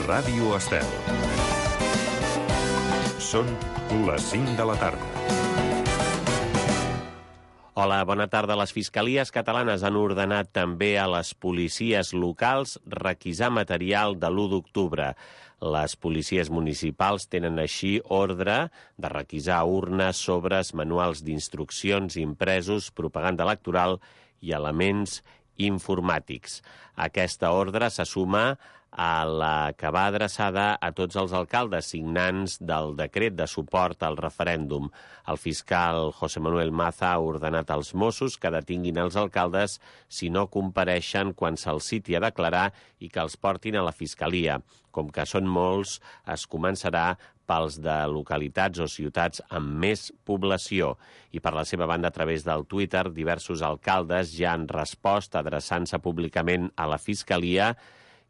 Ràdio Estel. Són les 5 de la tarda. Hola, bona tarda. Les fiscalies catalanes han ordenat també a les policies locals requisar material de l'1 d'octubre. Les policies municipals tenen així ordre de requisar urnes, sobres, manuals d'instruccions impresos, propaganda electoral i elements informàtics. Aquesta ordre se suma a la que va adreçada a tots els alcaldes signants del decret de suport al referèndum. El fiscal José Manuel Maza ha ordenat als Mossos que detinguin els alcaldes si no compareixen quan se'ls citi a declarar i que els portin a la fiscalia. Com que són molts, es començarà pels de localitats o ciutats amb més població. I per la seva banda, a través del Twitter, diversos alcaldes ja han respost adreçant-se públicament a la fiscalia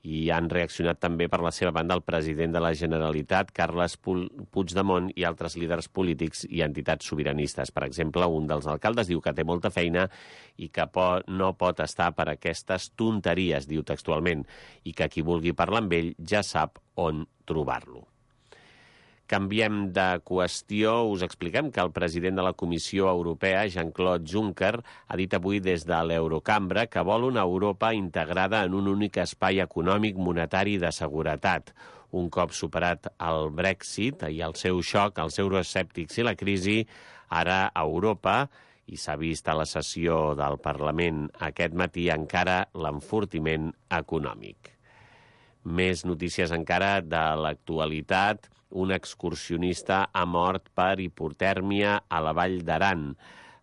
i han reaccionat també per la seva banda el president de la Generalitat, Carles Puigdemont, i altres líders polítics i entitats sobiranistes. Per exemple, un dels alcaldes diu que té molta feina i que no pot estar per aquestes tonteries, diu textualment, i que qui vulgui parlar amb ell ja sap on trobar-lo. Canviem de qüestió. Us expliquem que el president de la Comissió Europea, Jean-Claude Juncker, ha dit avui des de l'Eurocambra que vol una Europa integrada en un únic espai econòmic, monetari i de seguretat. Un cop superat el Brexit i el seu xoc, els euroescèptics i la crisi, ara a Europa, i s'ha vist a la sessió del Parlament aquest matí, encara l'enfortiment econòmic. Més notícies encara de l'actualitat. Un excursionista ha mort per hipotèrmia a la Vall d'Aran.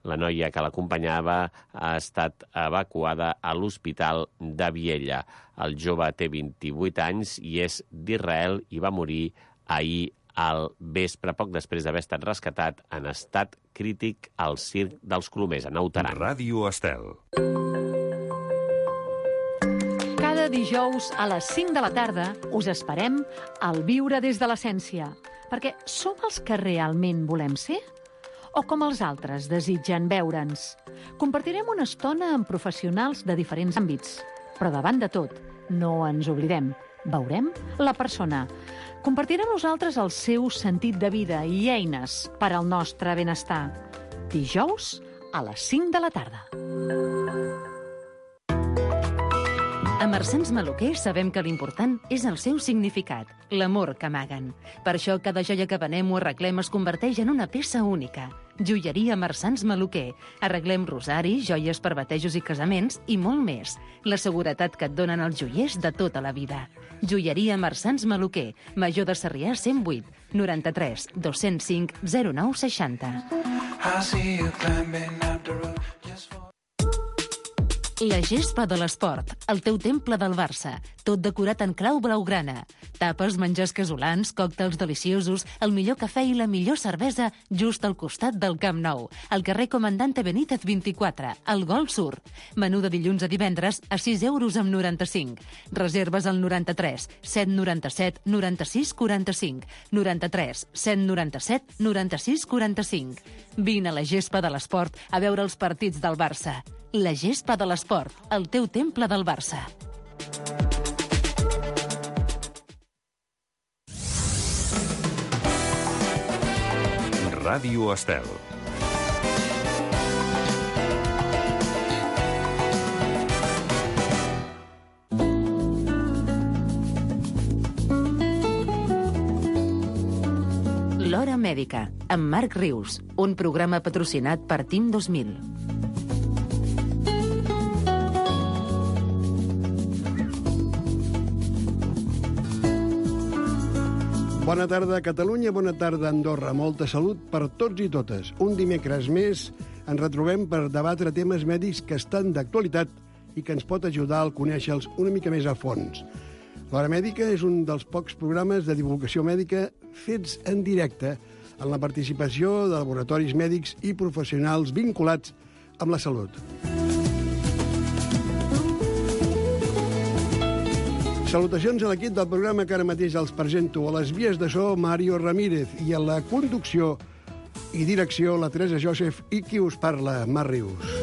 La noia que l'acompanyava ha estat evacuada a l'Hospital de Viella. El jove té 28 anys i és d'Israel i va morir ahir al vespre, poc després d'haver estat rescatat en estat crític al circ dels Colomers, a Naut Aran. Ràdio Estel. Cada dijous a les 5 de la tarda us esperem al Viure des de l'Essència, perquè som els que realment volem ser? O com els altres desitgen veure'ns? Compartirem una estona amb professionals de diferents àmbits, però davant de tot, no ens oblidem, veurem la persona. Compartirem nosaltres el seu sentit de vida i eines per al nostre benestar. Dijous a les 5 de la tarda. A Marsans Maluquer sabem que l'important és el seu significat, l'amor que amaguen. Per això cada joia que venem o arreglem es converteix en una peça única. Joieria Marsans Maluquer. Arreglem rosaris, joies per batejos i casaments i molt més. La seguretat que et donen els joiers de tota la vida. Joieria Marsans Maluquer. Major de Sarrià 108 93 205 09 60. La gespa de l'esport, el teu temple del Barça, tot decorat en clau blaugrana. Tapes, menjars casolans, còctels deliciosos, el millor cafè i la millor cervesa just al costat del Camp Nou, al carrer Comandante Benítez 24, al Gol Sur. Menú de dilluns a divendres a 6,95 €. Reserves al 93 797 96 45, 93 797 96 45. Vine a la gespa de l'esport a veure els partits del Barça. La gespa de l'esport, el teu temple del Barça. Ràdio Estel. L'Hora Mèdica, amb Marc Rius, un programa patrocinat per Team 2000. Bona tarda, Catalunya, bona tarda, Andorra. Molta salut per tots i totes. Un dimecres més ens retrobem per debatre temes mèdics que estan d'actualitat i que ens pot ajudar a conèixer-los una mica més a fons. L'Hora Mèdica és un dels pocs programes de divulgació mèdica fets en directe en la participació de laboratoris mèdics i professionals vinculats amb la salut. Salutacions a l'equip del programa que ara mateix els presento. A les vies de so, Mario Ramírez, i a la conducció i direcció, la Teresa Joseph, i qui us parla, Marc Rius.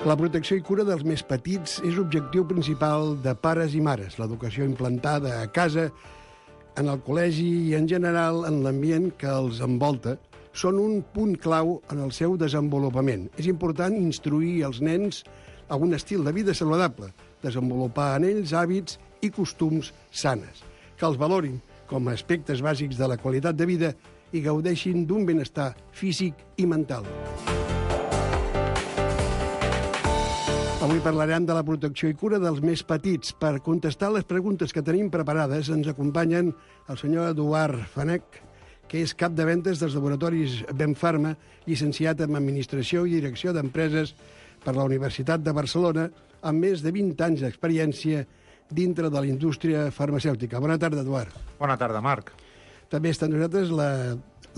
La protecció i cura dels més petits és objectiu principal de pares i mares. L'educació implantada a casa, en el col·legi i, en general, en l'ambient que els envolta, són un punt clau en el seu desenvolupament. És important instruir els nens a un estil de vida saludable, desenvolupar en ells hàbits i costums sanes, que els valorin com a aspectes bàsics de la qualitat de vida i gaudeixin d'un benestar físic i mental. Avui parlarem de la protecció i cura dels més petits. Per contestar les preguntes que tenim preparades ens acompanyen el senyor Eduard Fanech, que és cap de ventes dels laboratoris Benfarma, llicenciat en Administració i Direcció d'Empreses per la Universitat de Barcelona, amb més de 20 anys d'experiència dintre de la indústria farmacèutica. Bona tarda, Eduard. Bona tarda, Marc. També està amb nosaltres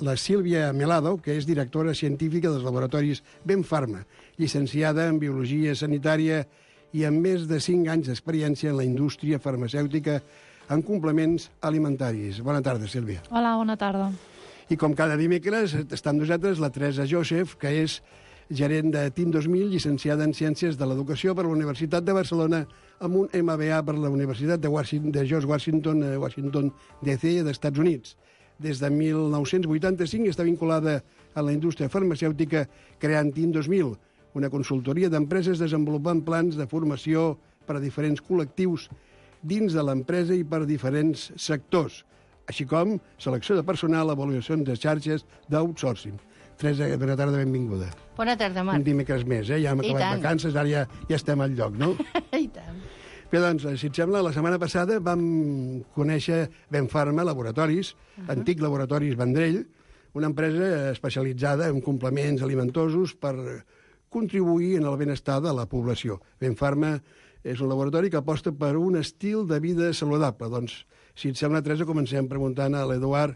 la Sílvia Melado, que és directora científica dels laboratoris Benfarma, llicenciada en Biologia Sanitària i amb més de 5 anys d'experiència en la indústria farmacèutica en complements alimentaris. Bona tarda, Sílvia. Hola, bona tarda. I com cada dimecres està amb nosaltres la Teresa Joseph, que és gerent de TIM 2000, llicenciada en Ciències de l'Educació per la Universitat de Barcelona, amb un MBA per la Universitat de George Washington DC d'Estats Units. Des de 1985 està vinculada a la indústria farmacèutica creant TIM 2000, una consultoria d'empreses desenvolupant plans de formació per a diferents col·lectius dins de l'empresa i per a diferents sectors, així com selecció de personal, avaluacions de xarxes d'outsourcing. Teresa, bona tarda, benvinguda. Bona tarda, Marc. Un dimecres més, ja hem acabat vacances, ara ja estem al lloc, no? I tant. Bé, doncs, si et sembla, la setmana passada vam conèixer Benfarma Laboratoris, antic Laboratoris Vendrell, una empresa especialitzada en complements alimentosos per contribuir en el benestar de la població. Benfarma és un laboratori que aposta per un estil de vida saludable. Doncs, si et sembla, Teresa, comencem preguntant a l'Eduard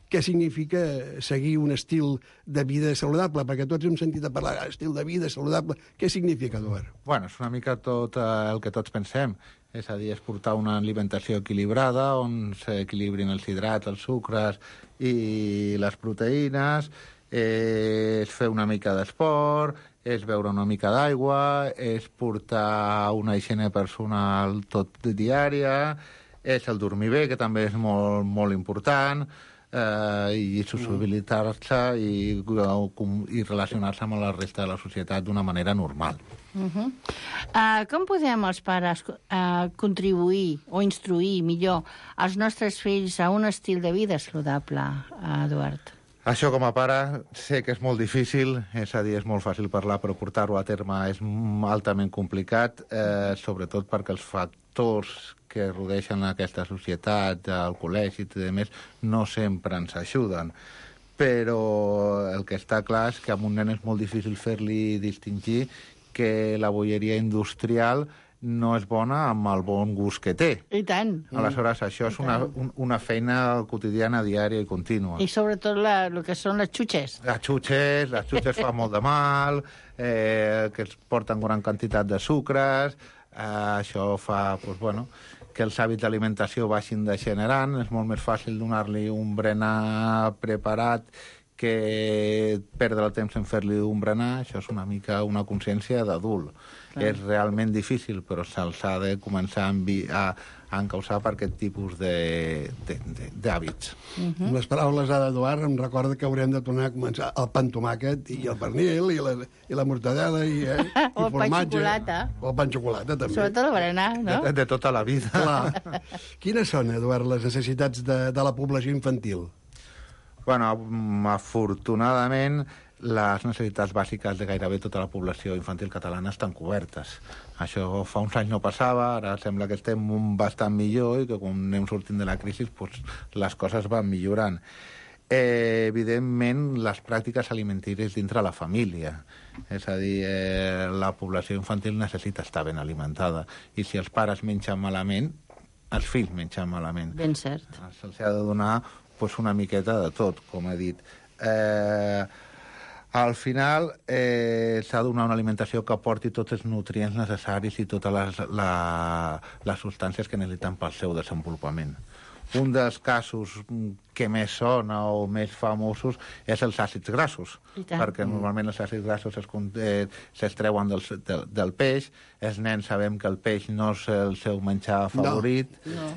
què significa seguir un estil de vida saludable, perquè tots hem sentit a parlar d'estil de vida saludable. Què significa, Eduard? Bueno, és una mica tot el que tots pensem. És a dir, és portar una alimentació equilibrada, on s'equilibrin els hidrats, els sucres i les proteïnes, és fer una mica d'esport, és beure una mica d'aigua, és portar una higiene personal tot diària, és el dormir bé, que també és molt, molt important, i sociabilitzar-se i relacionar-se amb la resta de la societat d'una manera normal. Com podem els pares contribuir o instruir millor els nostres fills a un estil de vida saludable, Eduard? Això, com a pare, sé que és molt difícil, és a dir, és molt fàcil parlar, però portar-ho a terme és altament complicat, sobretot perquè els factors que rodeixen aquesta societat, el col·legi i més, no sempre ens ajuden. Però el que està clar és que amb un nen és molt difícil fer-li distingir que la bolleria industrial no és bona amb el bon gust que té. I tant. Aleshores, això és una feina quotidiana, diària i contínua. I sobretot el que són les xutxes. Les xutxes fan molt de mal, que es porten gran quantitat de sucres, això fa, doncs, bueno, que els hàbits d'alimentació vagin degenerant, és molt més fàcil donar-li un berenar preparat que perdre el temps en fer-li un berenar. Això és una mica una consciència d'adult. És realment difícil, però se'ls ha de començar a encausar per aquest tipus d'hàbits. Amb les paraules d'Eduard em recorda que haurem de tornar a començar el pa amb tomàquet i el pernil i la mortadela i o el pa amb xocolata. O el pa amb xocolata, també. Sobretot el berenar, no? De tota la vida. Clar. Quines són, Eduard, les necessitats de la població infantil? Bueno, afortunadament, les necessitats bàsiques de gairebé tota la població infantil catalana estan cobertes. Això fa uns anys no passava, ara sembla que estem bastant millor i que quan anem sortint de la crisi doncs, les coses van millorant. Evidentment, les pràctiques alimentàries dintre la família. És a dir, la població infantil necessita estar ben alimentada. I si els pares mengen malament, els fills mengen malament. Ben cert. Se'ls ha de donar una miqueta de tot, com he dit. Al final s'ha de donar una alimentació que aporti tots els nutrients necessaris i totes les substàncies que necessiten pel seu desenvolupament. un dels casos que més sona o més famosos és els àcids grassos, perquè normalment els àcids grassos s'extreuen del peix. Els nens sabem que el peix no és el seu menjar favorit. No.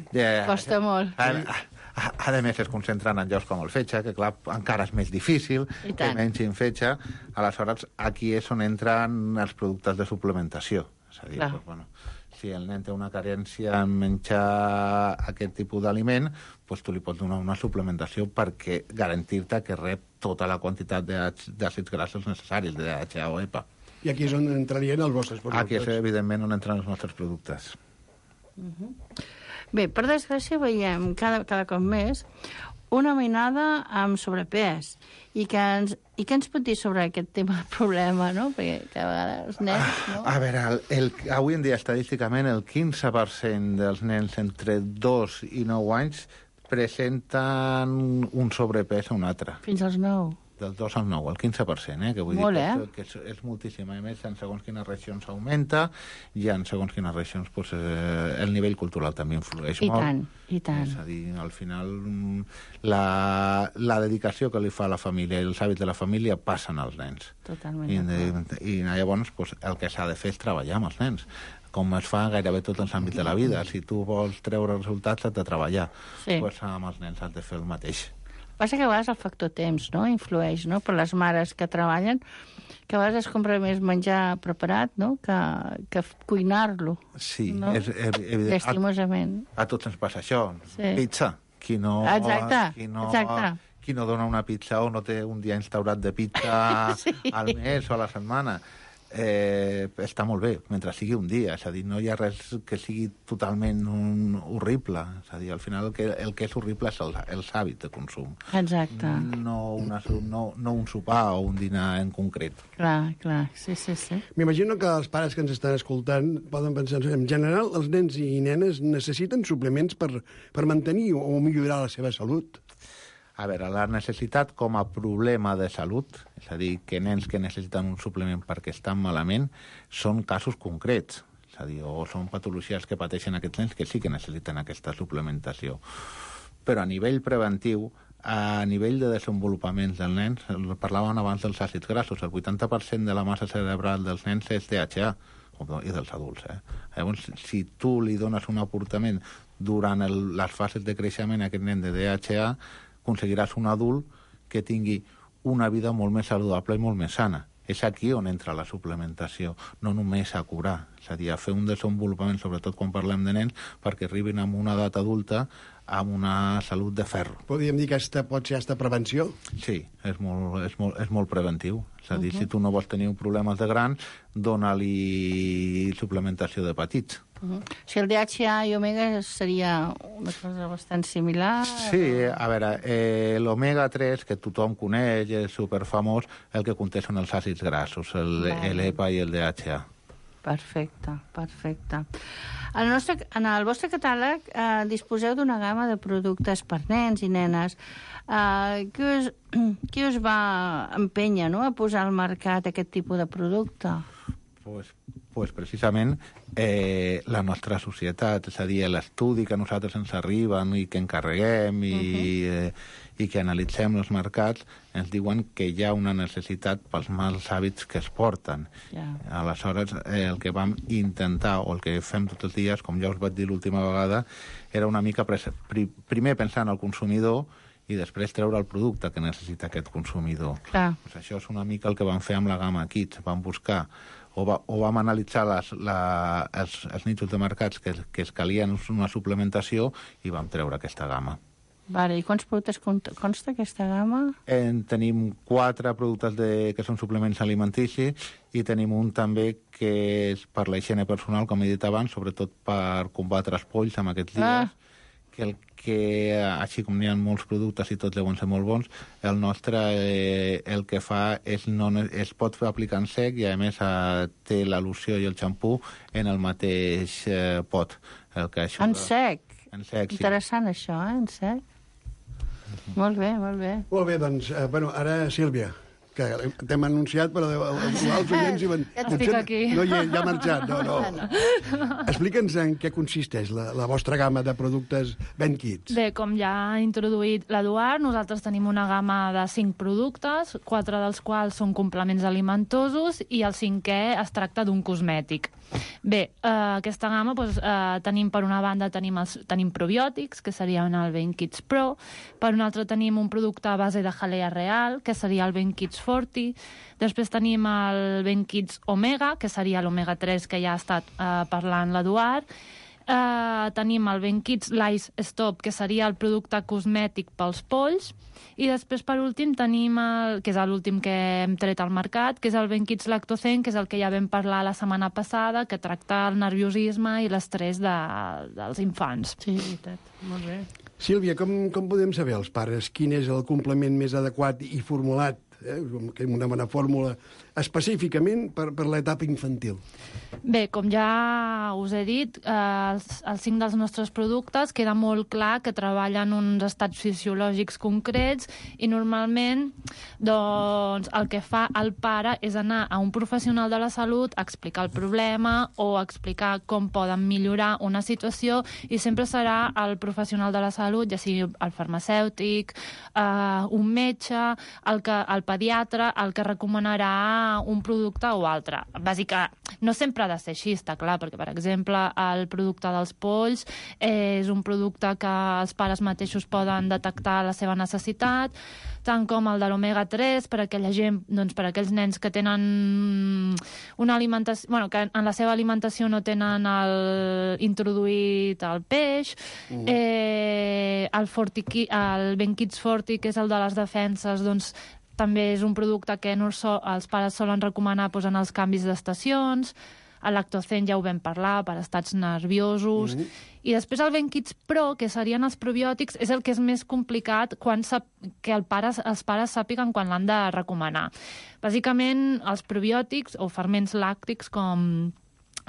Costa molt. A més, es concentren en llocs com el fetge, que clar, encara és més difícil que mengin fetge. Aleshores, aquí és on entren els productes de suplementació. És a dir, doncs, bueno, si el nen té una carència en menjar aquest tipus d'aliment, doncs tu li pots donar una suplementació perquè garantir-te que rep tota la quantitat d'àcids grassos necessaris, de DHA o EPA. I aquí és on entrarien els vostres productes. Aquí és, evidentment, on entren els nostres productes. Bé, per desgràcia veiem cada cop més una mainada amb sobrepès. I què ens pot dir sobre aquest tema del problema, no? Perquè cada vegada els nens... No? A veure, avui en dia, estadísticament, el 15% dels nens entre 2 i 9 anys presenten un sobrepès a un altre. Fins als 9? Del 2 al 9, el 15%, que vull dir que és moltíssim. A més, en segons quines regions augmenta i en segons quines regions pues, el nivell cultural també influeix molt. I tant. És a dir, al final la dedicació que li fa la família i els hàbits de la família passen als nens. Totalment. I llavors pues, el que s'ha de fer és treballar amb els nens, com es fa gairebé tots els àmbits de la vida. Si tu vols treure resultats, has de treballar. Pues, amb els nens has de fer el mateix. Passa que a vegades el factor temps, no?, influeix, no?, per les mares que treballen, que a vegades es compra més menjar preparat, no?, que cuinar-lo. Sí, no? És evident. Lastimosament. A tots ens passa això. Sí. Pizza. Qui no dona una pizza o no té un dia instaurat de pizza al mes o a la setmana, està molt bé, mentre sigui un dia. És a dir, no hi ha res que sigui totalment horrible. És a dir, al final el que és horrible és els hàbits de consum. Exacte. No un sopar o un dinar en concret. Clar. Sí. M'imagino que els pares que ens estan escoltant poden pensar, en general, els nens i nenes necessiten suplements per mantenir o millorar la seva salut. A veure, la necessitat com a problema de salut, és a dir, que nens que necessiten un suplement perquè estan malament, són casos concrets. És a dir, o són patologies que pateixen aquests nens que sí que necessiten aquesta suplementació. Però a nivell preventiu, a nivell de desenvolupament dels nens, parlàvem abans dels àcids grassos, el 80% de la massa cerebral dels nens és DHA, i dels adults. Llavors, si tu li dones un aportament durant les fases de creixement a aquest nen de DHA, aconseguiràs un adult que tingui una vida molt més saludable i molt més sana. És aquí on entra la suplementació, no només a curar, és a dir, a fer un desenvolupament, sobretot quan parlem de nens, perquè arribin a una edat adulta amb una salut de ferro. Podríem dir que pot ser aquesta prevenció? Sí, és molt preventiu. És a dir, si tu no vols tenir problemes de grans, dona-li suplementació de petits. Si el DHA i omega seria una cosa bastant similar... Sí, a veure, l'omega-3, que tothom coneix, és superfamós, el que conté són els àcids grassos, l'EPA i el DHA. Perfecte. En el vostre catàleg disposeu d'una gamma de productes per nens i nenes. Què us va empènyer, no?, a posar al mercat aquest tipus de producte? Pues precisament la nostra societat, és a dir, l'estudi que a nosaltres ens arriben i que encarreguem i que analitzem els mercats, ens diuen que hi ha una necessitat pels mals hàbits que es porten. Aleshores, el que vam intentar, o el que fem tots els dies, com ja us vaig dir l'última vegada, era una mica primer pensar en el consumidor i després treure el producte que necessita aquest consumidor. Pues això és una mica el que vam fer amb la gamma Kids. Vam buscar o vam analitzar els nichos de mercats que es calien una suplementació i vam treure aquesta gamma. I quants productes consta aquesta gamma? Tenim 4 productes que són suplements alimenticis i tenim un també que és per la higiene personal, com he dit abans, sobretot per combatre els polls en aquests dies, que així com n'hi ha molts productes i tots deuen ser molt bons, el nostre el que fa es pot aplicar en sec i a més té la loció i el xampú en el mateix pot. En sec? En sec, sí. Interessant això, en sec? Molt bé. Molt bé, doncs, ara, Sílvia, que t'hem anunciat, però els oients diuen... Estic aquí. No hi és, ja ha marxat. No. Explica'ns en què consisteix la vostra gamma de productes Ben Kids. Bé, com ja ha introduït l'Eduard, nosaltres tenim una gamma de 5 productes, 4 dels quals són complements alimentosos i el 5è es tracta d'un cosmètic. Bé, aquesta gamma, tenim per una banda tenim probiòtics, que serien el Ben Kids Pro, per una altra tenim un producte a base de jalea real, que seria el Ben Kids Forti, després tenim el Ben Kids Omega, que seria l'Omega 3 que ja ha estat parlant l'Eduard, tenim el Ben Kids Lice Stop, que seria el producte cosmètic pels polls, i després, per últim, tenim que és l'últim que hem tret al mercat, que és el Ben Kids Lactocen, que és el que ja vam parlar la setmana passada, que tracta el nerviosisme i l'estrès dels infants. Sí, veritat. Molt bé. Sílvia, com podem saber els pares quin és el complement més adequat i formulat, una bona fórmula, específicament per l'etapa infantil? Bé, com ja us he dit, els 5 dels nostres productes queda molt clar que treballen uns estats fisiològics concrets i normalment doncs, el que fa el pare és anar a un professional de la salut a explicar el problema o explicar com poden millorar una situació i sempre serà el professional de la salut, ja sigui el farmacèutic, un metge, el pediatre, el que recomanarà un producte o altre. Bàsicament, no sempre ha de ser així, està clar, perquè, per exemple, el producte dels polls és un producte que els pares mateixos poden detectar la seva necessitat, tant com el de l'omega 3 per a aquella gent, doncs per a aquells nens que tenen una alimentació, que en la seva alimentació no tenen introduït el peix, el Ben Kids Forti, que és el de les defenses, doncs també és un producte que els pares solen recomanar en els canvis d'estacions. El Lactocen ja ho vam parlar, per estats nerviosos. I després el Ben Kids Pro, que serien els probiòtics, és el que és més complicat que els pares sàpiguen quan l'han de recomanar. Bàsicament, els probiòtics, o ferments làctics, com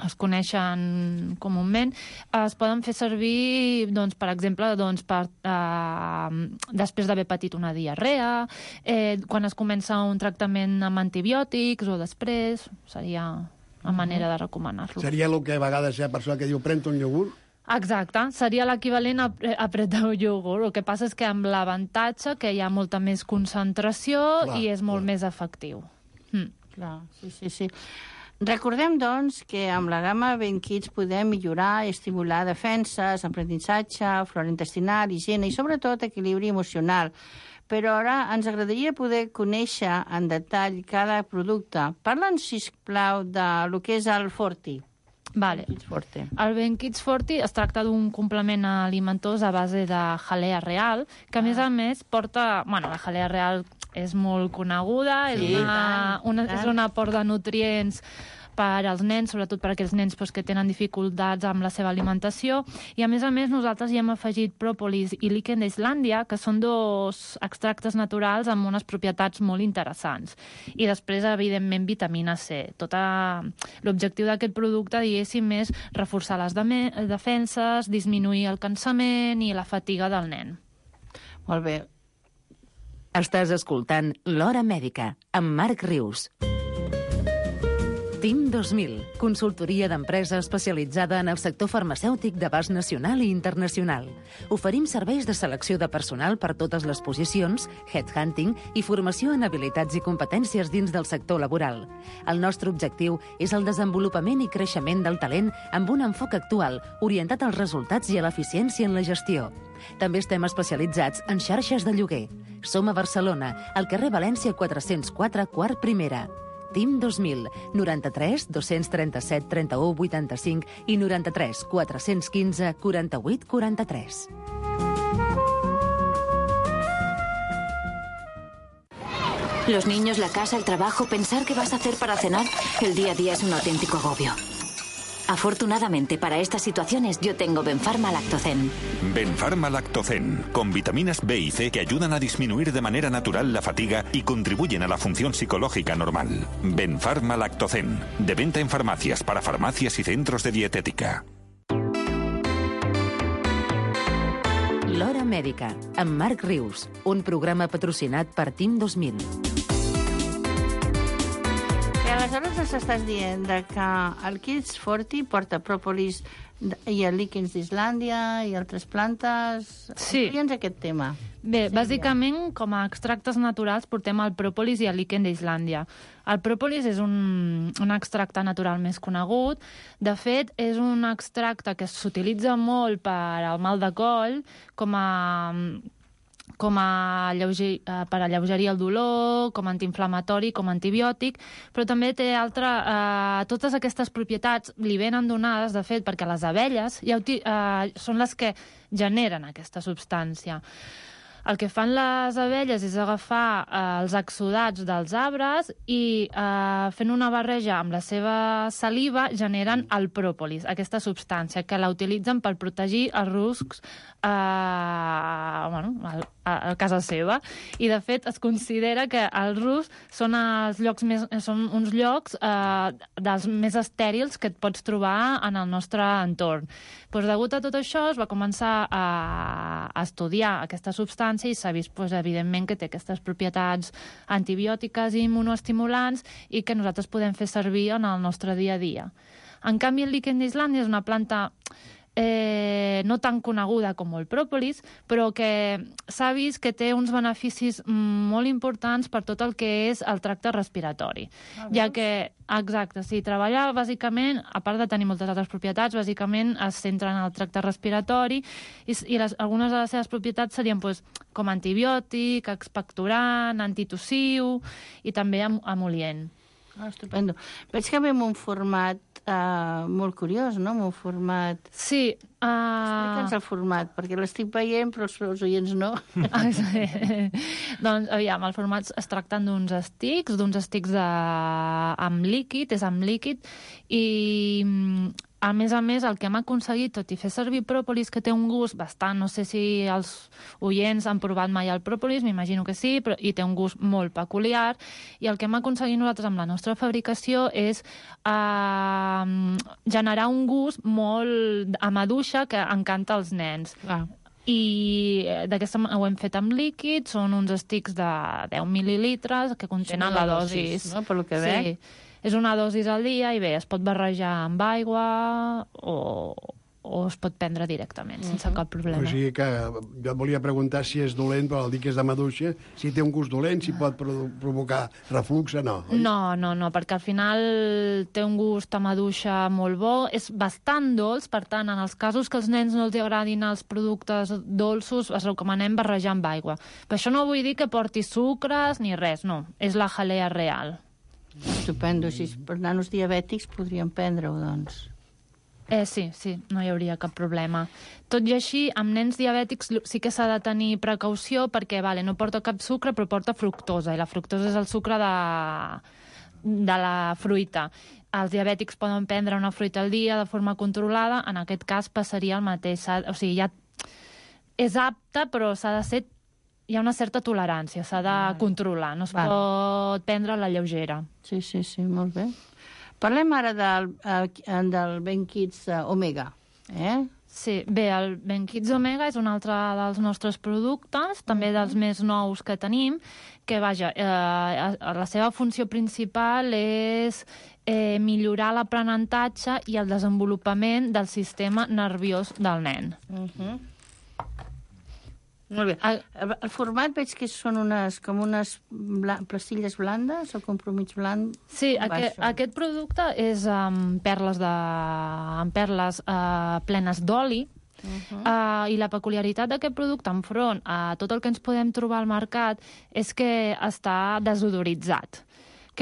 es coneixen comúment, es poden fer servir, doncs, per exemple, després d'haver patit una diarrea, quan es comença un tractament amb antibiòtics o després, seria una manera de recomanar-lo. Seria el que a vegades hi ha persona que diu pren-te un iogurt? Exacte, seria l'equivalent a prémer un iogurt. El que passa és que amb l'avantatge que hi ha molta més concentració i és molt més efectiu. Clar, sí. Recordem, doncs, que amb la gamma Ben Kids podem millorar i estimular defenses, aprenentatge, flora intestinal, higiene i, sobretot, equilibri emocional. Però ara ens agradaria poder conèixer en detall cada producte. Parla'ns, sisplau, del que és el Forti. Vale. El Ben Kids Forti es tracta d'un complement alimentós a base de jalea real, que a més porta... la jalea real és molt coneguda, és un aport de nutrients per als nens, sobretot per aquells nens que tenen dificultats amb la seva alimentació, i a més nosaltres hi hem afegit pròpolis i líquen d'Islàndia, que són 2 extractes naturals amb unes propietats molt interessants. I després, evidentment, vitamina C. L'objectiu d'aquest producte, diguéssim, és reforçar les defenses, disminuir el cansament i la fatiga del nen. Molt bé. Estàs escoltant L'Hora Mèdica, amb Marc Rius. TIM 2000, consultoria d'empresa especialitzada en el sector farmacèutic d'abast nacional i internacional. Oferim serveis de selecció de personal per totes les posicions, headhunting i formació en habilitats i competències dins del sector laboral. El nostre objectiu és el desenvolupament i creixement del talent amb un enfoc actual, orientat als resultats i a l'eficiència en la gestió. També estem especialitzats en xarxes de lloguer. Som a Barcelona, al carrer València 404, quart primera. TIM 2000, 93 237 31 85 i 93 415 48 43. Los niños, la casa, el trabajo, pensar qué vas a hacer para cenar. El día a día es un auténtico agobio. Afortunadamente, para estas situaciones, yo tengo Benfarma Lactocen. Benfarma Lactocen, con vitaminas B y C que ayudan a disminuir de manera natural la fatiga y contribuyen a la función psicológica normal. Benfarma Lactocen, de venta en farmacias, para farmacias y centros de dietética. L'Hora Mèdica, amb Marc Rius, un programa patrocinat per TIM 2000. aleshores ens estàs dient que el Kids 40 porta pròpolis i el líquens d'Islàndia i altres plantes. Sí. Explica'ns aquest tema. Bé, bàsicament, com a extractes naturals, portem el pròpolis i el líquen d'Islàndia. El pròpolis és un extracte natural més conegut. De fet, és un extracte que s'utilitza molt per al mal de coll, per alleugerir el dolor, com a antiinflamatori, com a antibiòtic, però també té totes aquestes propietats li venen donades, de fet, perquè les abelles són les que generen aquesta substància. El que fan les abelles és agafar els exudats dels arbres i fent una barreja amb la seva saliva generen el pròpolis, aquesta substància que la utilitzen per protegir els ruscs a casa seva. I, de fet, es considera que els ruscs són uns llocs dels més estèrils que et pots trobar en el nostre entorn. Doncs, degut a tot això, es va començar a estudiar aquesta substància i s'ha vist, evidentment, que té aquestes propietats antibiòtiques i immunoestimulants i que nosaltres podem fer servir en el nostre dia a dia. En canvi, el líquen d'Islàndia és una planta no tan coneguda com el pròpolis, però que s'ha vist que té uns beneficis molt importants per tot el que és el tracte respiratori. Ja que, exacte, sí, treballa bàsicament, a part de tenir moltes altres propietats, bàsicament es centra en el tracte respiratori i algunes de les seves propietats serien com antibiòtic, expectorant, antitussiu i també emol·lient. Estupendo. Veig que ve en un format molt curiós, no? En un format... Sí. Explica'ns el format, perquè l'estic veient, però els oients no. Doncs, aviam, el format es tracten d'uns estics amb líquid, és amb líquid, i a més, el que hem aconseguit, tot i fer servir pròpolis, que té un gust bastant, no sé si els oients han provat mai el pròpolis, m'imagino que sí, però i té un gust molt peculiar, i el que hem aconseguit nosaltres amb la nostra fabricació és generar un gust molt a maduixa que encanta als nens. I d'aquesta ho hem fet amb líquid, són uns estics de 10 mil·lilitres que contenen la dosis. No? Per lo que veig. Sí. És una dosis al dia i bé, es pot barrejar amb aigua o es pot prendre directament, sense cap problema. O sigui que jo et volia preguntar si és dolent, però el dir que és de maduixa, si té un gust dolent, si pot provocar reflux o no. Oi? No, perquè al final té un gust a maduixa molt bo, és bastant dolç, per tant, en els casos que als nens no els agradin els productes dolços, es recomanem barrejar amb aigua. Per això no vull dir que porti sucres ni res, no, és la jalea real. Estupendo. Si per nanos diabètics podríem prendre-ho, doncs. Sí, no hi hauria cap problema. Tot i així, amb nens diabètics sí que s'ha de tenir precaució perquè no porta cap sucre, però porta fructosa, i la fructosa és el sucre de la fruita. Els diabètics poden prendre una fruita al dia de forma controlada, en aquest cas passaria el mateix. O sigui, ja és apte, però s'ha de ser... Hi ha una certa tolerància, s'ha de controlar, no es pot prendre a la lleugera. Sí, molt bé. Parlem ara del Ben Kids Omega. Sí, bé, el Ben Kids Omega és un altre dels nostres productes, també dels més nous que tenim, que, vaja, la seva funció principal és millorar l'aprenentatge i el desenvolupament del sistema nerviós del nen. Molt bé. El format veig que són com unes pastilles blandes o compromís blanc? Sí, aquest producte és amb perles plenes d'oli, i la peculiaritat d'aquest producte enfront a tot el que ens podem trobar al mercat és que està desodoritzat.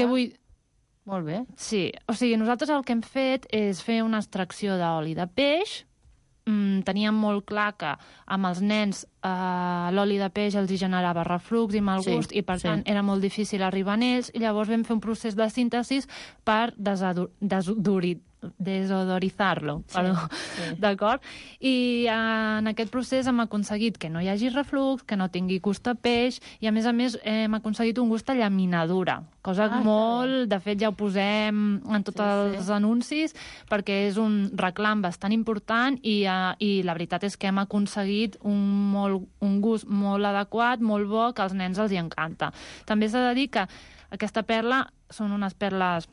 Molt bé. Sí, o sigui, nosaltres el que hem fet és fer una extracció d'oli de peix. Teníem molt clar que amb els nens l'oli de peix els generava reflux i mal gust, i per tant era molt difícil arribar a ells, i llavors vam fer un procés de síntesi per desodoritzar-lo, d'acord? I en aquest procés hem aconseguit que no hi hagi reflux, que no tingui gust a peix, i a més hem aconseguit un gust a llaminadura, cosa molt... De fet, ja ho posem en tots els anuncis, perquè és un reclam bastant important, i la veritat és que hem aconseguit un gust molt adequat, molt bo, que als nens els hi encanta. També s'ha de dir que aquesta perla són unes perles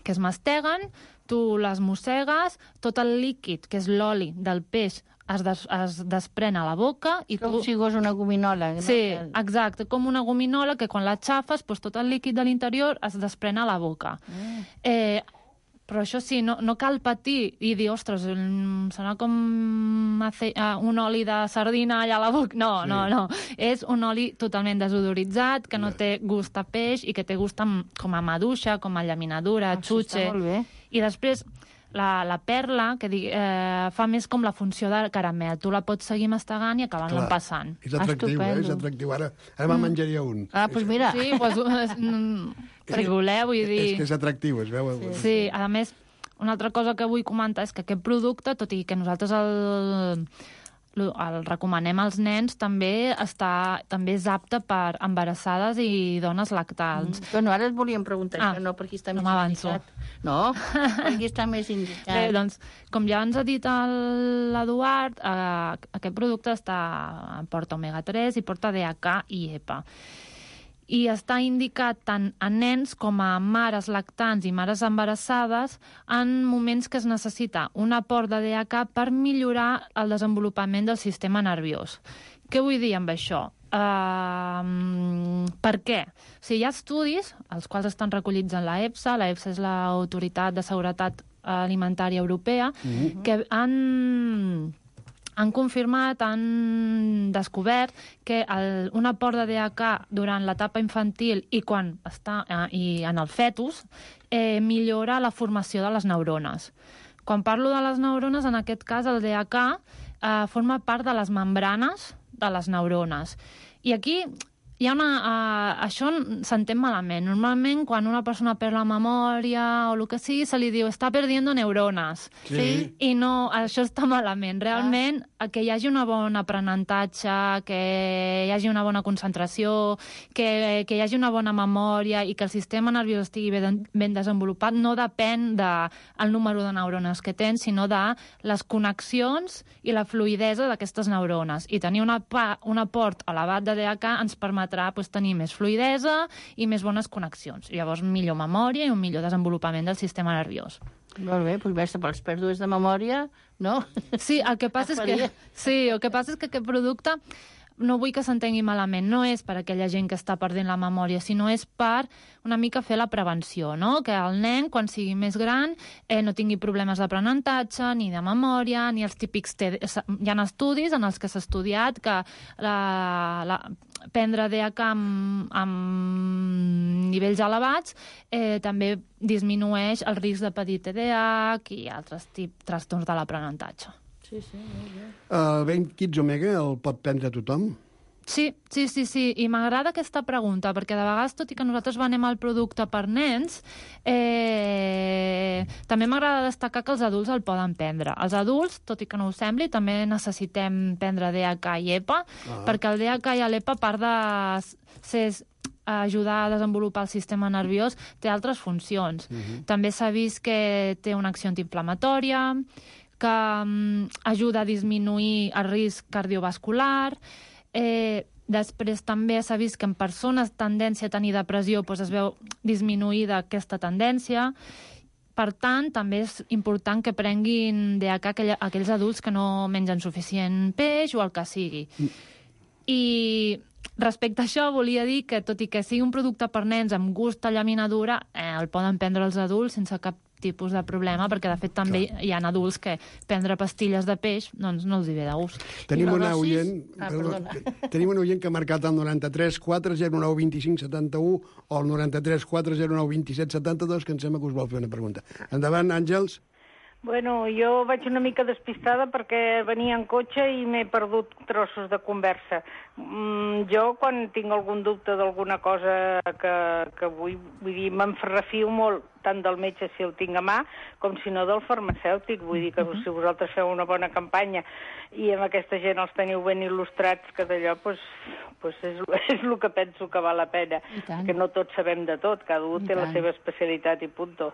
que es masteguen, tu les mossegues, tot el líquid, que és l'oli del peix, es desprèn a la boca i com si fos una gominola. No? Sí, exacte, com una gominola que quan la xafes, doncs tot el líquid de l'interior es desprèn a la boca. Però això sí, no cal patir i dir, ostres, serà com un oli de sardina allà a la boca. No. És un oli totalment desodoritzat, que no té gust a peix i que té gust com a maduixa, com a llaminadura, xutxe. Està molt bé. I després la perla, que fa més com la funció de caramel. Tu la pots seguir mastegant i acabant-la empassant. És atractiu, és atractiu. Ara me'n menjaria un. Doncs mira. Sí, si voleu, vull dir... És que és atractiu, es veu. Sí, a més, una altra cosa que vull comentar és que aquest producte, tot i que nosaltres el recomanem als nens, també és apte per embarassades i dones lactants. Bueno, ara et volíem preguntar això, no, per aquí està més indicat. No, per aquí està més indicat. Bé, doncs, com ja ens ha dit l'Eduard, aquest producte porta omega-3 i porta DHA i EPA. I està indicat tant a nens com a mares lactants i mares embarassades en moments que es necessita un aport de DHA per millorar el desenvolupament del sistema nerviós. Què vull dir amb això? Per què? O sigui, hi ha estudis, els quals estan recollits en la EFSA és l'Autoritat de Seguretat Alimentària Europea, que han confirmat, han descobert que un aport de DHA durant l'etapa infantil i quan està en el fetus millora la formació de les neurones. Quan parlo de les neurones, en aquest cas el DHA forma part de les membranes de les neurones. I aquí hi ha això s'entén malament. Normalment, quan una persona perd la memòria o el que sigui, se li diu està perdiendo neurones. Sí. I no, això està malament. Realment, que hi hagi un bon aprenentatge, que hi hagi una bona concentració, que hi hagi una bona memòria i que el sistema nerviós estigui ben desenvolupat, no depèn del número de neurones que tens, sinó de les connexions i la fluïdesa d'aquestes neurones. I tenir un aport elevat de DHA ens permetrà tenir més fluïdesa i més bones connexions. Llavors, millor memòria i un millor desenvolupament del sistema nerviós. Molt bé, doncs veure pels pèrdues de memòria, no? Sí, el que passa és que aquest producte, no vull que s'entengui malament, no és per aquella gent que està perdent la memòria, sinó és per una mica fer la prevenció, no? Que el nen, quan sigui més gran, no tingui problemes d'aprenentatge, ni de memòria, ni els típics... Hi ha estudis en els que s'ha estudiat que prendre DHA amb nivells elevats també disminueix el risc de patir TDAH i altres trastorns de l'aprenentatge. Sí, molt bé. El Ben Kids Omega el pot prendre tothom? Sí, i m'agrada aquesta pregunta, perquè de vegades, tot i que nosaltres venem el producte per nens, també m'agrada destacar que els adults el poden prendre. Els adults, tot i que no ho sembli, també necessitem prendre DHA i EPA, perquè el DHA i l'EPA, a part de ajudar a desenvolupar el sistema nerviós, té altres funcions. També s'ha vist que té una acció antiinflamatòria, que ajuda a disminuir el risc cardiovascular. Després també s'ha vist que en persones tendència a tenir depressió es veu disminuïda aquesta tendència. Per tant, també és important que prenguin DHA aquells adults que no mengen suficient peix o el que sigui. I respecte a això, volia dir que, tot i que sigui un producte per nens amb gust a llaminadura, el poden prendre els adults sense cap tipus de problema, perquè de fet també hi ha adults que prendre pastilles de peix doncs no els hi ve de gust. Tenim una oient que ha marcat el 93 409 25 71 o el 93 409 27 72, que em sembla que us vol fer una pregunta. Endavant, Àngels. Bueno, jo vaig una mica despistada perquè venia en cotxe i m'he perdut trossos de conversa. Jo, quan tinc algun dubte d'alguna cosa que vull dir, me'n refio molt, tant del metge si el tinc a mà, com si no del farmacèutic. Vull dir que si vosaltres feu una bona campanya i amb aquesta gent els teniu ben il·lustrats, que d'allò és el que penso que val la pena. Que no tots sabem de tot, cada un té la seva especialitat i punto.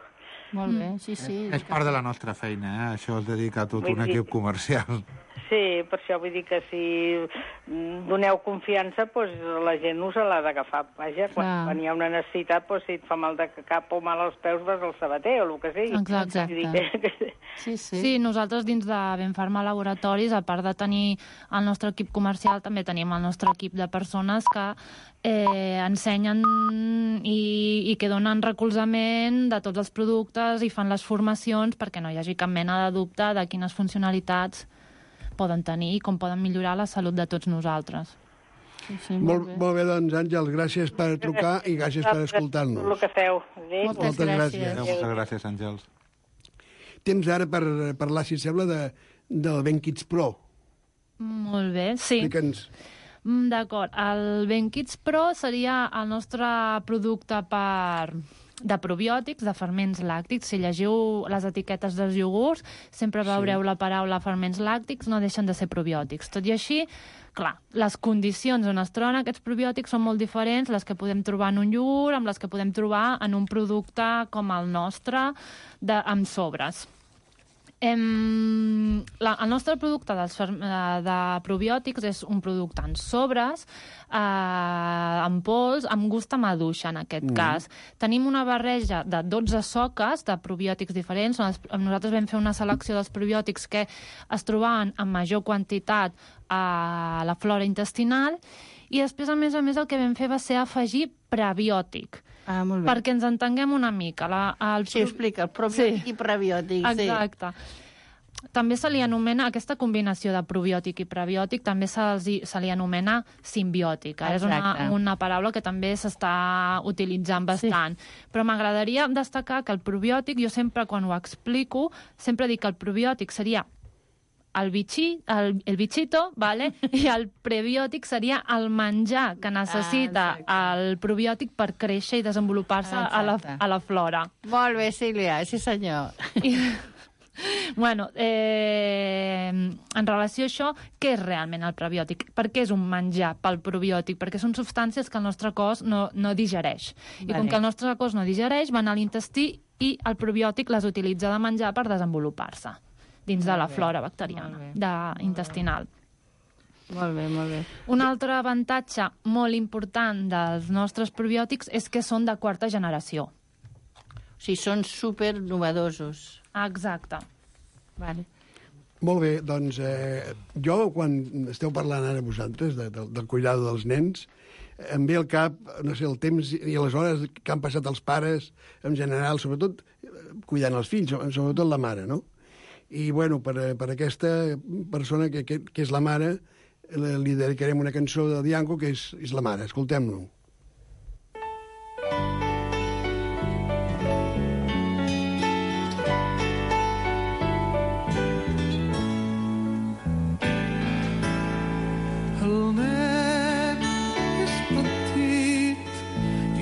Molt bé, sí. És part de la nostra feina, això es dedica a tot un equip comercial. Sí, per això vull dir que si doneu confiança, doncs la gent us l'ha d'agafar. Vaja, quan hi ha una necessitat, doncs si et fa mal de cap o mal als peus, vas al sabater o el que sigui. Exacte. Sí, nosaltres dins de Benfarma Laboratoris, a part de tenir el nostre equip comercial, també tenim el nostre equip de persones que ensenyen i que donen recolzament de tots els productes i fan les formacions perquè no hi hagi cap mena de dubte de quines funcionalitats poden tenir i com poden millorar la salut de tots nosaltres. Sí, molt bé, doncs, Àngels, gràcies per trucar i gràcies per escoltar-nos. El que feu. Moltes gràcies. Moltes gràcies, Àngels. Temps ara per parlar, si sembla, del BenKids Pro. Molt bé, sí. Explica'ns. D'acord. El BenKids Pro seria el nostre producte de probiòtics, de ferments làctics. Si llegiu les etiquetes dels iogurts, sempre veureu la paraula ferments làctics, no deixen de ser probiòtics. Tot i així, clar, les condicions on es troben aquests probiòtics són molt diferents, les que podem trobar en un iogurt, amb les que podem trobar en un producte com el nostre, amb sobres. El nostre producte de probiòtics és un producte en sobres, en pols, amb gust a maduixa, en aquest cas. Tenim una barreja de 12 soques de probiòtics diferents. Nosaltres vam fer una selecció dels probiòtics que es trobaven en major quantitat a la flora intestinal i després, a més, el que vam fer va ser afegir prebiòtic. Molt bé. Perquè ens entenguem una mica. Sí, explica, el probiòtic i prebiòtic. Exacte. També se li anomena, aquesta combinació de probiòtic i prebiòtic, també se li anomena simbiòtica. És una paraula que també s'està utilitzant bastant. Però m'agradaria destacar que el probiòtic, jo sempre, quan ho explico, sempre dic que el probiòtic seria el bichito, ¿vale? I el prebiòtic seria el menjar que necessita el probiòtic per créixer i desenvolupar-se a la flora. Molt bé, Sílvia, sí senyor. Bueno, en relació a això, què és realment el prebiòtic? Per què és un menjar pel probiòtic? Perquè són substàncies que el nostre cos no digereix. I com que el nostre cos no digereix, van a l'intestí i el probiòtic les utilitza de menjar per desenvolupar-se dins de la flora bacteriana intestinal. Molt bé, molt bé. Un altre avantatge molt important dels nostres probiòtics és que són de quarta generació. O sigui, són super novedosos. Exacte. Vale. Molt bé, doncs jo, quan esteu parlant ara vosaltres del cuidado dels nens, em ve al cap, no sé, el temps i les hores que han passat els pares, en general, sobretot cuidant els fills, sobretot la mare, no? I, bueno, per aquesta persona que és la mare, li dedicarem una cançó de Dianco que és la mare. Escoltem-lo. El nen és petit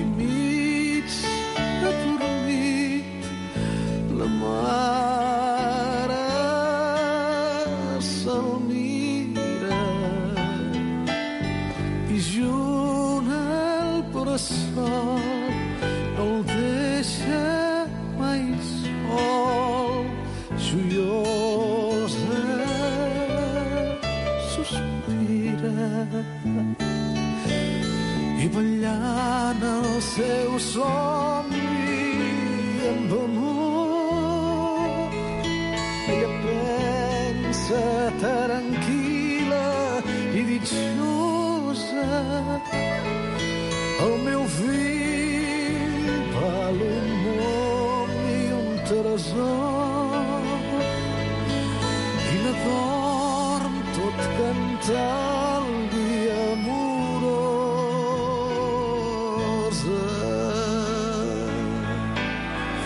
i mig adormit, la mare se'l mira i junt al bressol no el deixa mai sol. Joiosa sospira i ballant el seu somni amb amor ella pensa tranquil·la i dichosa, el meu fill val un món i un tresor i la dorm tot cantant i amorosa.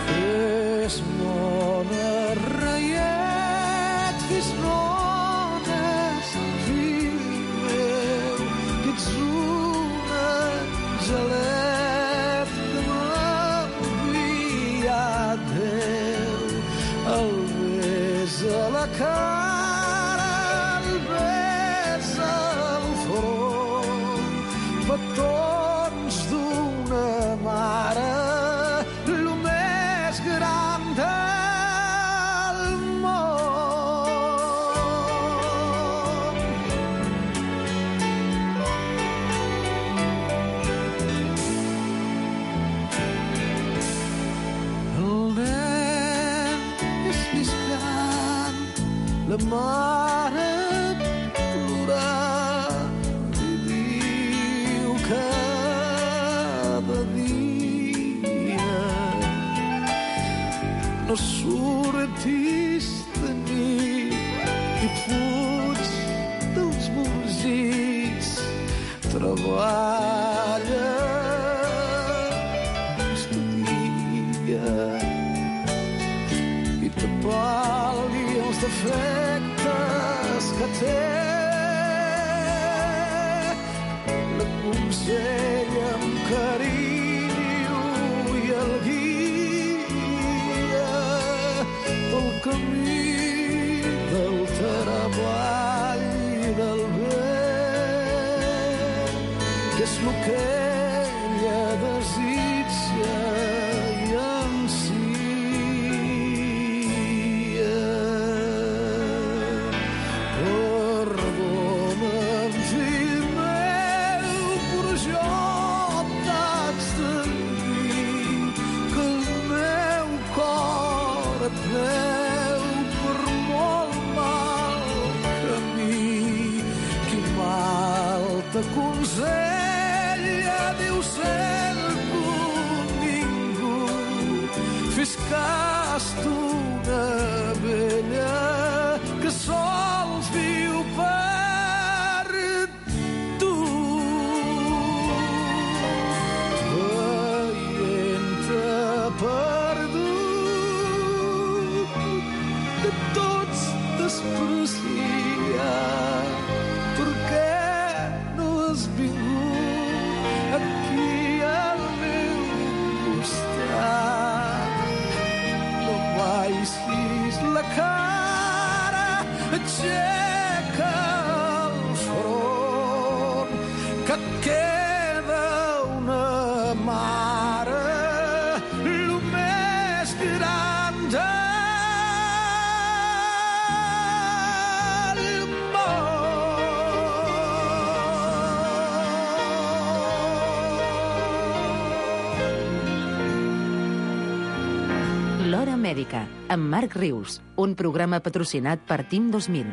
Fes mona, reiet, fes mones, fill meu, que ets un angelet que m'ha enviat Déu. El besa a la cara, el besa al front, petons d'una mare plorar i diu cada dia no surtis de nit i fuig dels músics, treballa, estudia i t'apalgui els defectes que té. L'aconsella amb carinyo i el guia pel camí del treball i del bé, que és el que ella desitja i ansia. Perdona'm, fill meu, però jo t'haig de dir que el meu cor et veu per molt mal camí. Qui mal t'aconsella, diu sempre ningú. Fes cas d'una vella que sols viu per tu. Veient-te perdut, de tots desprecia. Per què no has vingut aquí al meu costat? No baixis la cara, aixeca el front, que et queda una mare, lo més gran del món. L'Hora Mèdica, amb Marc Rius, un programa patrocinat per Team 2000.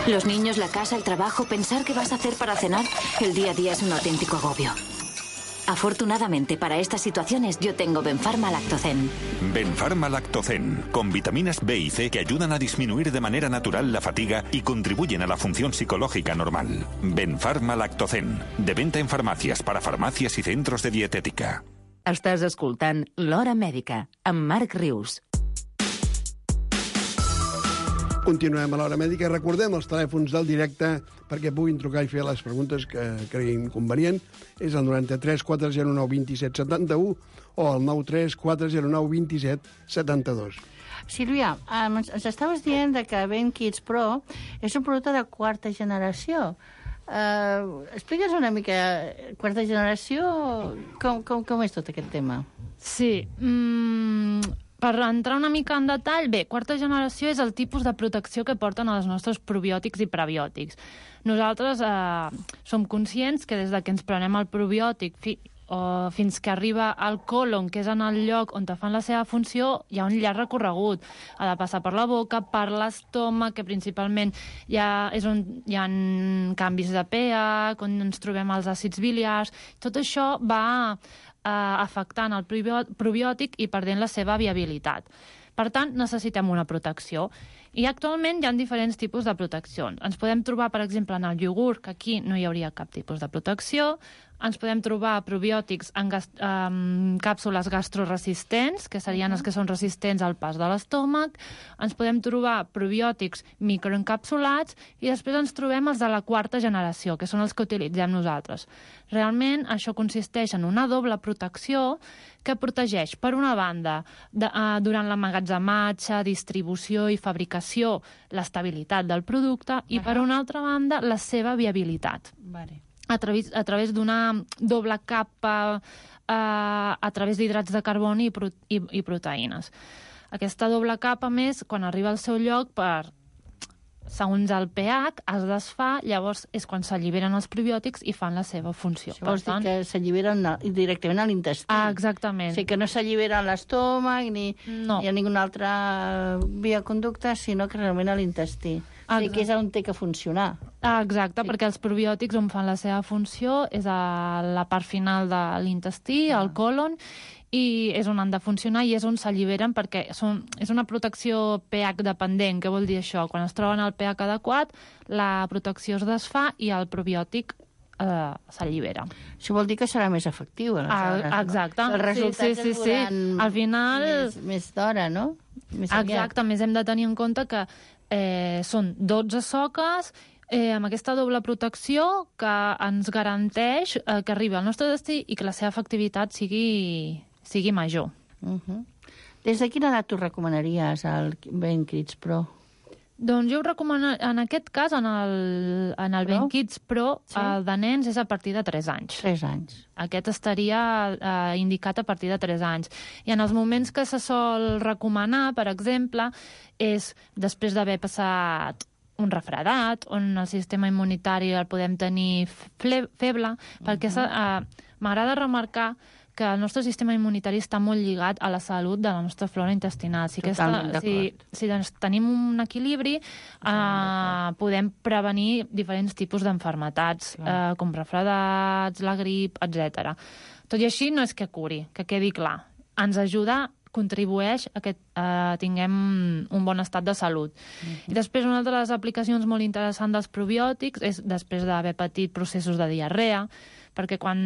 Los niños, la casa, el trabajo, pensar qué vas a hacer para cenar. El día a día es un auténtico agobio. Afortunadamente, para estas situaciones, yo tengo Benfarma Lactocen. Benfarma Lactocen, con vitaminas B y C que ayudan a disminuir de manera natural la fatiga y contribuyen a la función psicológica normal. Benfarma Lactocen, de venta en farmacias, para farmacias y centros de dietética. Estàs escoltant L'Hora Mèdica, amb Marc Rius. Continuem a l'Hora Mèdica. Recordem els telèfons del directe perquè puguin trucar i fer les preguntes que creguin convenient. És el 93 409 27 71 o el 93 409 27 72. Sílvia, ens estaves dient que BenKids Pro és un producte de quarta generació. Explica'ns una mica, quarta generació, com és tot aquest tema? Sí, per entrar una mica en detall, bé, quarta generació és el tipus de protecció que porten els nostres probiòtics i prebiòtics. Nosaltres som conscients que des de que ens prenem el probiòtic fins que arriba al còlon, que és en el lloc on te fan la seva funció, hi ha un llarg recorregut. Ha de passar per la boca, per l'estómac, que principalment és on hi ha canvis de pH, on ens trobem els àcids biliars. Tot això va afectant el probiòtic i perdent la seva viabilitat. Per tant, necessitem una protecció. I actualment hi ha diferents tipus de proteccions. Ens podem trobar, per exemple, en el iogurt, que aquí no hi hauria cap tipus de protecció. Ens podem trobar probiòtics en càpsules gastroresistents, que serien els que són resistents al pas de l'estómac. Ens podem trobar probiòtics microencapsulats i després ens trobem els de la quarta generació, que són els que utilitzem nosaltres. Realment, això consisteix en una doble protecció que protegeix, per una banda, durant l'emmagatzematge, distribució i fabricació, l'estabilitat del producte i, per una altra banda, la seva viabilitat. Vale. A través d'una doble capa a través d'hidrats de carboni i proteïnes. Aquesta doble capa, més, quan arriba al seu lloc, segons el pH, es desfà, llavors és quan s'alliberen els probiòtics i fan la seva funció. Això vols dir que s'alliberen directament a l'intestí. Exactament. O sigui, que no s'allibera a l'estómac ni a ninguna altra via conducta, sinó que realment a l'intestí. O sigui, que és on té que funcionar. Exacte, perquè els probiòtics on fan la seva funció és a la part final de l'intestí, al còlon, i és on han de funcionar i és on s'alliberen perquè és una protecció pH dependent. Què vol dir això? Quan es troben al pH adequat, la protecció es desfà i el probiòtic s'allibera. Això vol dir que serà més efectiu, aleshores, exacte. Els resultats es veuran al final més d'hora, no? Exacte, més hem de tenir en compte que són 12 soques amb aquesta doble protecció que ens garanteix que arribi al nostre destí i que la seva efectivitat sigui major. Des de quina edat tu recomanaries el BenKids Pro? Doncs jo ho recomano, en aquest cas, en el BenKids Pro, el de nens és a partir de 3 anys. 3 anys. Aquest estaria indicat a partir de 3 anys. I en els moments que se sol recomanar, per exemple, és després d'haver passat un refredat, on el sistema immunitari el podem tenir feble, perquè m'agrada remarcar que el nostre sistema immunitari està molt lligat a la salut de la nostra flora intestinal. Si tenim un equilibri, podem prevenir diferents tipus d'enfermetats, com refredats, la grip, etc. Tot i així, no és que curi, que quedi clar. Ens ajuda, contribueix a que tinguem un bon estat de salut. I després, una de les aplicacions molt interessants dels probiòtics és després d'haver patit processos de diarrea, perquè quan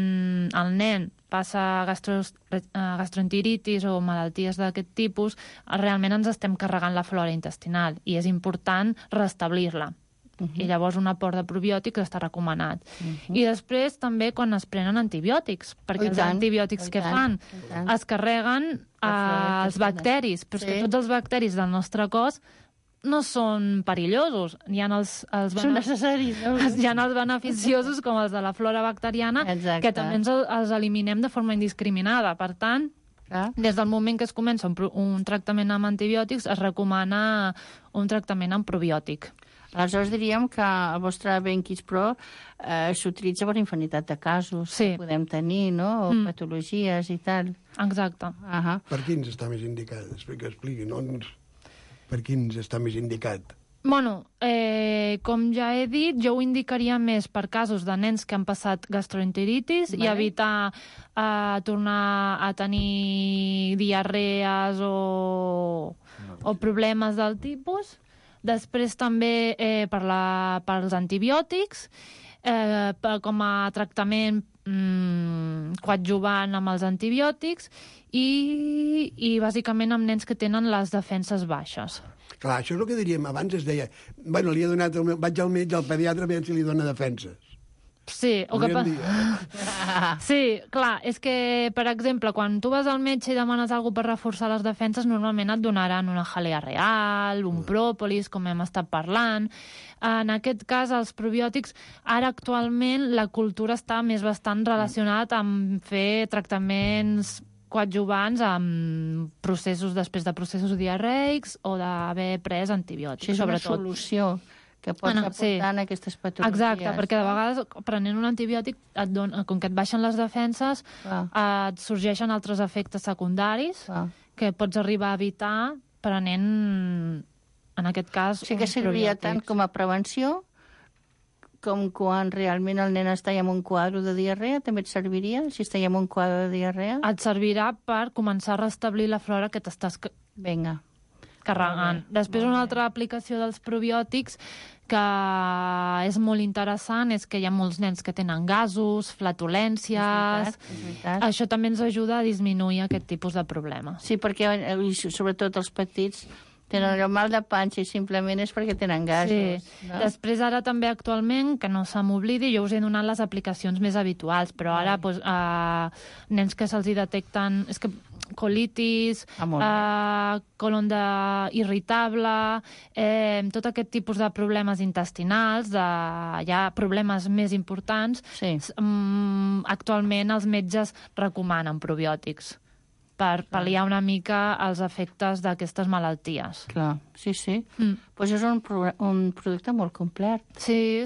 el nen passa gastroenteritis o malalties d'aquest tipus, realment ens estem carregant la flora intestinal i és important restablir-la. I llavors un aport de probiòtics està recomanat. I després també quan es prenen antibiòtics, perquè els antibiòtics que fan es carreguen els bacteris, però és que tots els bacteris del nostre cos no són perillosos. Hi ha són necessaris. Hi ha els beneficiosos, com els de la flora bacteriana, que també els eliminem de forma indiscriminada. Per tant, des del moment que es comença un tractament amb antibiòtics, es recomana un tractament amb probiòtic. Aleshores diríem que el vostre BenKids Pro s'utilitza per infinitat de casos que podem tenir, no? O patologies i tal. Exacte. Per quins està més indicat? Expliqui, no? Per quins està més indicat? Bueno, com ja he dit, jo ho indicaria més per casos de nens que han passat gastroenteritis i evitar tornar a tenir diarrees o problemes del tipus. Després també pels antibiòtics, com a tractament coadjuvant amb els antibiòtics i bàsicament amb nens que tenen les defenses baixes. Clar, això és el que diríem. Abans es deia, bueno, vaig al metge, al pediatre, a veure si li dona defenses. Sí, sí, clar, és que, per exemple, quan tu vas al metge i demanes alguna cosa per reforçar les defenses, normalment et donaran una jalea real, un pròpolis, com hem estat parlant. En aquest cas, els probiòtics, ara actualment la cultura està més bastant relacionada amb fer tractaments coadjuvants amb processos després de processos diarreics o d'haver pres antibiòtics, sobretot. És una solució que pots aportar en aquestes patologies. Exacte, perquè de vegades prenent un antibiòtic, com que et baixen les defenses, et sorgeixen altres efectes secundaris que pots arribar a evitar prenent, en aquest cas, sí que serviria tant com a prevenció com quan realment el nen està en un quadre de diarrea, també et serviria, si està en un quadre de diarrea? Et servirà per començar a restablir la flora que t'estàs carregant. Després, una altra aplicació dels probiòtics que és molt interessant és que hi ha molts nens que tenen gasos, flatulències. És veritat. Això també ens ajuda a disminuir aquest tipus de problema. Sí, perquè sobretot els petits tenen el mal de panxa i simplement és perquè tenen gasos. Sí. No? Després, ara també actualment, que no se m'oblidi, jo us he donat les aplicacions més habituals, però ara nens que se'ls detecten colitis, colon irritable, tot aquest tipus de problemes intestinals, hi ha problemes més importants, actualment els metges recomanen probiòtics. per pal·liar una mica els efectes d'aquestes malalties. Clar, sí. Pues és un producte molt complet. Sí,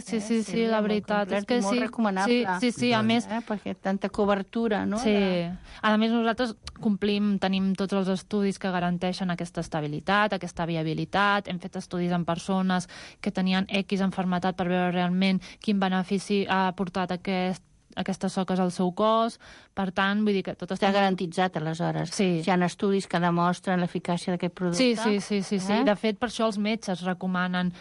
la veritat és que sí. Molt recomanable. Sí, a més... Perquè tanta cobertura, no? Sí. A més, nosaltres tenim tots els estudis que garanteixen aquesta estabilitat, aquesta viabilitat. Hem fet estudis en persones que tenien X enfermetat per veure realment quin benefici ha portat aquestes soques al seu cos. Per tant, vull dir que tot està garantitzat, aleshores. Sí. Hi ha estudis que demostren l'eficàcia d'aquest producte. Sí. De fet, per això els metges recomanen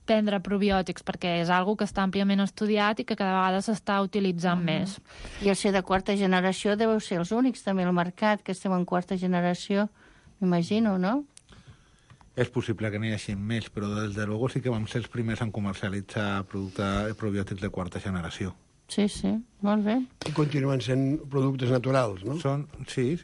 prendre probiòtics, perquè és algo que està àmpliament estudiat i que cada vegada s'està utilitzant més. I el ser de quarta generació deveu ser els únics també al mercat, que estem en quarta generació, m'imagino, no? És possible que n'hi hagi més, però des de luego sí que vam ser els primers en comercialitzar probiòtics de quarta generació. Sí, molt bé. I continuen sent productes naturals, no? Sí.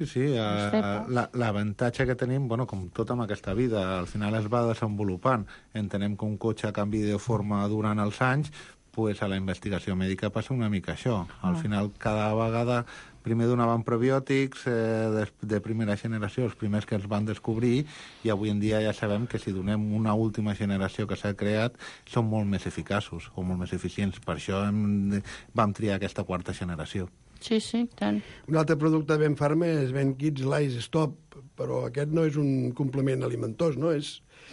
L'avantatge que tenim, com tot amb aquesta vida, al final es va desenvolupant. Entenem que un cotxe canvi de forma durant els anys, pues a la investigació mèdica passa una mica això. Al final, cada vegada... Primer donaven probiòtics de primera generació, els primers que els van descobrir, i avui en dia ja sabem que si donem una última generació que s'ha creat, són molt més eficaços o molt més eficients. Per això vam triar aquesta quarta generació. Sí, tant. Un altre producte de Benfarma és Ben Kids Lice Stop, però aquest no és un complement alimentós, no?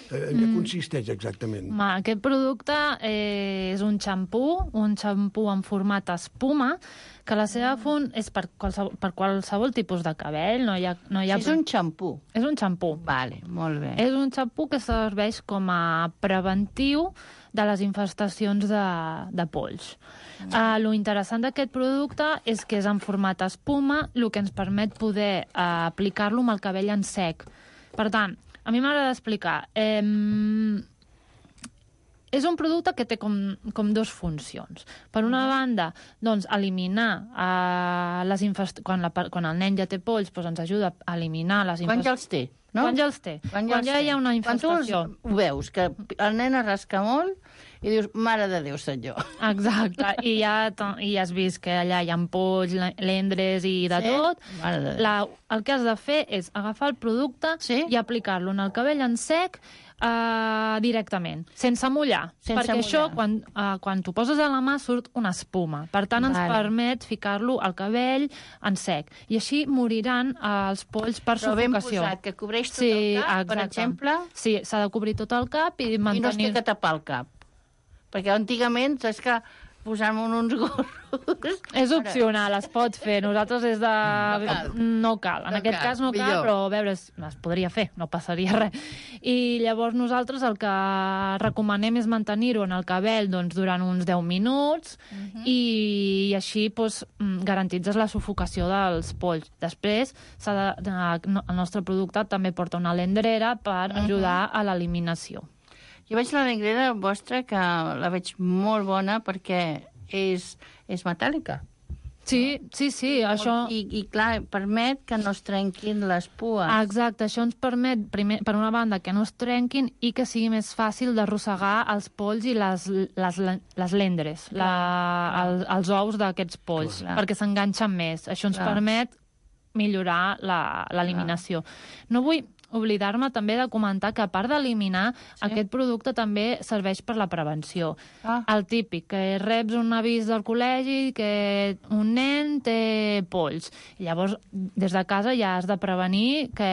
En què consisteix exactament? Aquest producte és un xampú en format espuma, que la seva font és per qualsevol tipus de cabell. És un xampú? És un xampú. Vale, molt bé. És un xampú que serveix com a preventiu de les infestacions de polls. Lo interessant d'aquest producte és que és en format espuma, el que ens permet poder aplicar-lo amb el cabell en sec. Per tant, a mi m'agrada explicar. És un producte que té com dues funcions. Per una banda, doncs, eliminar les infestacions... Quan el nen ja té polls, doncs ens ajuda a eliminar les infestacions. Quan ja els té, no? Quan ja els té. Quan ja hi ha una infestació. Quan tu ho veus, que el nen es rasca molt i dius, mare de Déu, senyor. Exacte. I ja has vist que allà hi ha polls, lendres i de tot. Mare de Déu. El que has de fer és agafar el producte i aplicar-lo en el cabell en sec directament, sense mullar. Perquè això, quan t'ho poses a la mà, surt una espuma. Per tant, ens permet ficar-lo al cabell en sec. I així moriran els polls per sufocació. Però ben posat, que cobreix tot el cap, per exemple? Sí, s'ha de cobrir tot el cap i mantenir... I no es té que tapar el cap. Perquè antigament, saps que posant-me uns gorros... És opcional, es pot fer. Nosaltres és de... No cal. En aquest cas no cal, però a veure, es podria fer, no passaria res. I llavors nosaltres el que recomanem és mantenir-ho en el cabell durant uns 10 minuts i així garantitzes la sufocació dels polls. Després, el nostre producte també porta una lendrera per ajudar a l'eliminació. Jo veig la llengrera vostra, que la veig molt bona perquè és metàl·lica. Sí, això... I clar, permet que no es trenquin les pues. Exacte, això ens permet, per una banda, que no es trenquin i que sigui més fàcil d'arrossegar els polls i les lendres, els ous d'aquests polls, perquè s'enganxen més. Això ens permet millorar l'eliminació. No vull oblidar-me també de comentar que, a part d'eliminar, aquest producte també serveix per la prevenció. El típic, que reps un avís del col·legi que un nen té polls. I llavors, des de casa ja has de prevenir que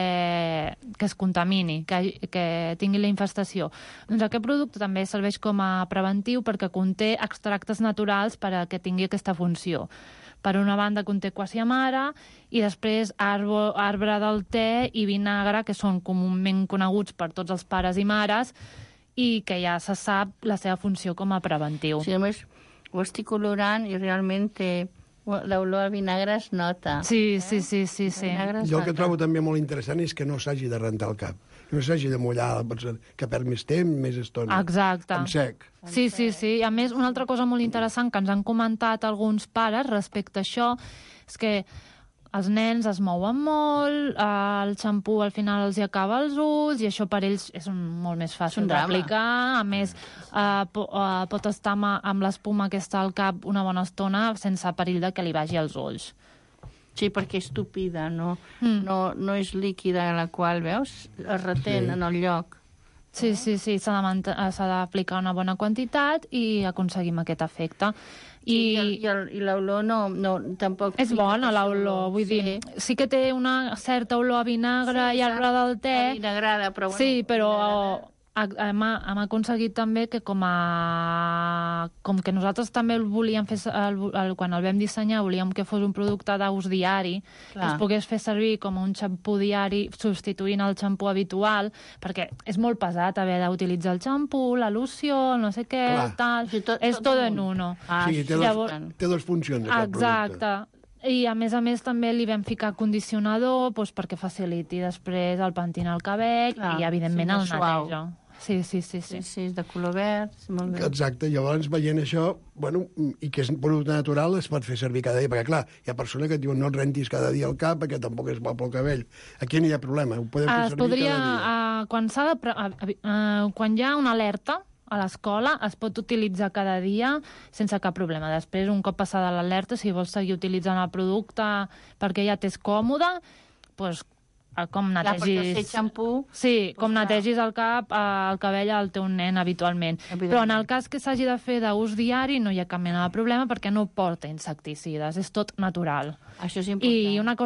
es contamini, que tingui la infestació. Doncs aquest producte també serveix com a preventiu perquè conté extractes naturals per a que tingui aquesta funció. Per una banda conté quasiamara i després arbre del te i vinagre, que són comúment coneguts per tots els pares i mares i que ja se sap la seva funció com a preventiu. Sí, a més, ho estic olorant i realment l'olor al vinagre es nota. Sí. Jo el que trobo també molt interessant és que no s'hagi de rentar el cap, no s'hagi de mullar, que perd més temps, més estona. Exacte. En sec. Sí. I a més, una altra cosa molt interessant que ens han comentat alguns pares respecte a això és que els nens es mouen molt, el xampú al final els hi acaba els ulls i això per ells és molt més fàcil d'aplicar. A més, pot estar amb l'espuma que està al cap una bona estona sense perill de que li vagi als ulls. Sí, perquè és tupida, no és líquida, la qual, veus, es retén en el lloc. Sí, s'ha d'aplicar una bona quantitat i aconseguim aquest efecte. I l'olor no tampoc... És bona l'olor, vull dir, sí que té una certa olor a vinagre i a l'hora del te. Vinagrada, però... Sí, però hem aconseguit també que com que nosaltres també el volíem fer, quan el vam dissenyar, volíem que fos un producte d'ús diari, que es pogués fer servir com un xampú diari substituint el xampú habitual, perquè és molt pesat haver d'utilitzar el xampú, la loció, no sé què, tal... És tot en uno. Sí, té dues funcions, aquest producte. Exacte. I, a més, també li vam ficar condicionador perquè faciliti després el pentinar el cabell i, evidentment, el neteja. Sí, és de color verd, molt bé. Exacte, llavors veient això, i que és un producte natural, es pot fer servir cada dia, perquè clar, hi ha persones que diuen no et rentis cada dia el cap, perquè tampoc és bo pel cabell. Aquí no hi ha problema, ho podem fer servir cada dia. Quan hi ha una alerta a l'escola, es pot utilitzar cada dia sense cap problema. Després, un cop passada l'alerta, si vols seguir utilitzant el producte perquè ja t'és còmode, doncs com netegis... netegis el cabell al teu nen habitualment. Però en el cas que s'hagi de fer d'ús diari no hi ha cap mena de problema perquè no porta insecticides, és tot natural. Això és important. I una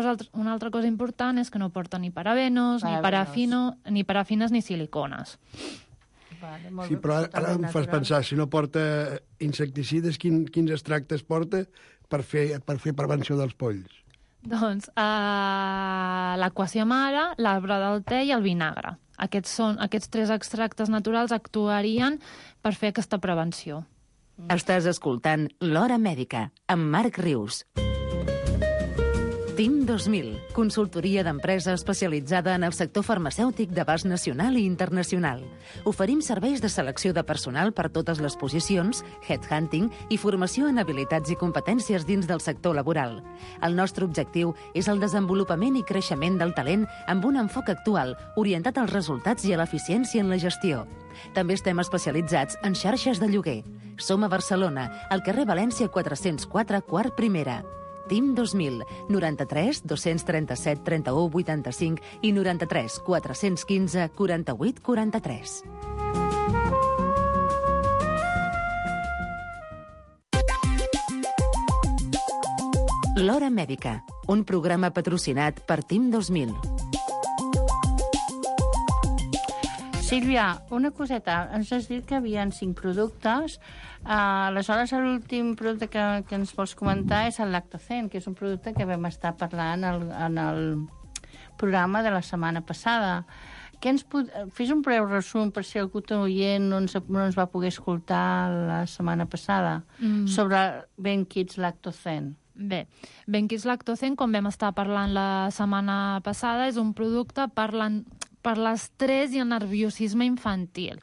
altra cosa important és que no porta ni parabenos, ni parafines ni silicones. Sí, però ara em fas pensar, si no porta insecticides, quins extractes porta per fer prevenció dels polls? Doncs l'aquàcia mare, l'arbre del te i el vinagre. Aquests 3 extractes naturals actuarien per fer aquesta prevenció. Estàs escoltant L'Hora Mèdica, amb Marc Rius. TIM 2000, consultoria d'empresa especialitzada en el sector farmacèutic d'abast nacional i internacional. Oferim serveis de selecció de personal per totes les posicions, headhunting i formació en habilitats i competències dins del sector laboral. El nostre objectiu és el desenvolupament i creixement del talent amb un enfoc actual, orientat als resultats i a l'eficiència en la gestió. També estem especialitzats en xarxes de lloguer. Som a Barcelona, al carrer València 404, quart primera. TIM 2000, 93 237 31 85 i 93 415 48 43. L'Hora Mèdica, un programa patrocinat per TIM 2000. Sílvia, una coseta. Ens has dit que hi havia 5 productes. Aleshores, l'últim producte que ens vols comentar és el Lactocen, que és un producte que vam estar parlant en el programa de la setmana passada. Fes un breu resum per si algú oient no ens va poder escoltar la setmana passada sobre BenKids Lactocen. Bé, BenKids Lactocen, com vam estar parlant la setmana passada, és un producte per l'estrès i el nerviosisme infantil.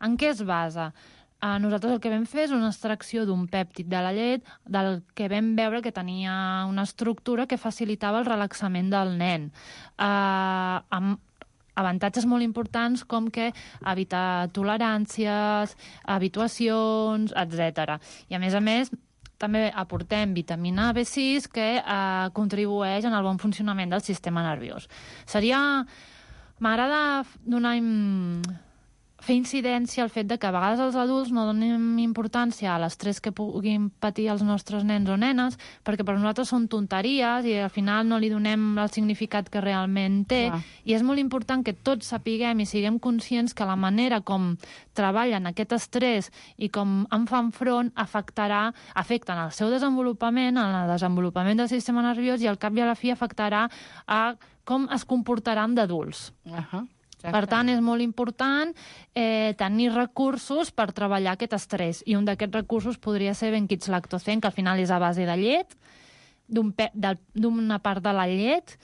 En què es basa? Nosaltres el que vam fer és una extracció d'un pèptid de la llet del que vam veure que tenia una estructura que facilitava el relaxament del nen. Amb avantatges molt importants com que evita toleràncies, habituacions, etc. I a més, també aportem vitamina B6 que contribueix en el bon funcionament del sistema nerviós. M'agrada fer incidència al fet de que a vegades els adults no donem importància a l'estrès que puguin patir els nostres nens o nenes, perquè per nosaltres són tonteries i al final no li donem el significat que realment té. I és molt important que tots sapiguem i siguem conscients que la manera com treballen aquest estrès i com en fan front afecten el seu desenvolupament, el desenvolupament del sistema nerviós i al cap i a la fi afectarà a com es comportaran d'adults. Per tant, és molt important tenir recursos per treballar aquest estrès. I un d'aquests recursos podria ser BenKids Lactocen, que al final és a base de llet, d'una part de la llet,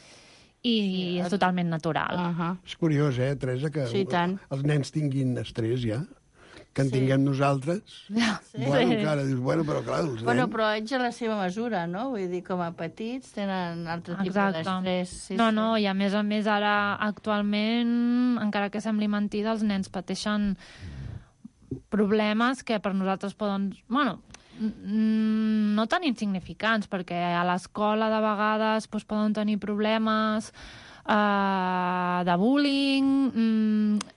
i és totalment natural. És curiós, Teresa, que els nens tinguin estrès ja, que en tinguem nosaltres. Encara dius, però clar, els nens... Però ells a la seva mesura, no? Vull dir, com a petits tenen altre tipus d'estrès. No, i a més ara, actualment, encara que sembli mentida, els nens pateixen problemes que per nosaltres poden... no tan insignificants, perquè a l'escola de vegades poden tenir problemes de bullying,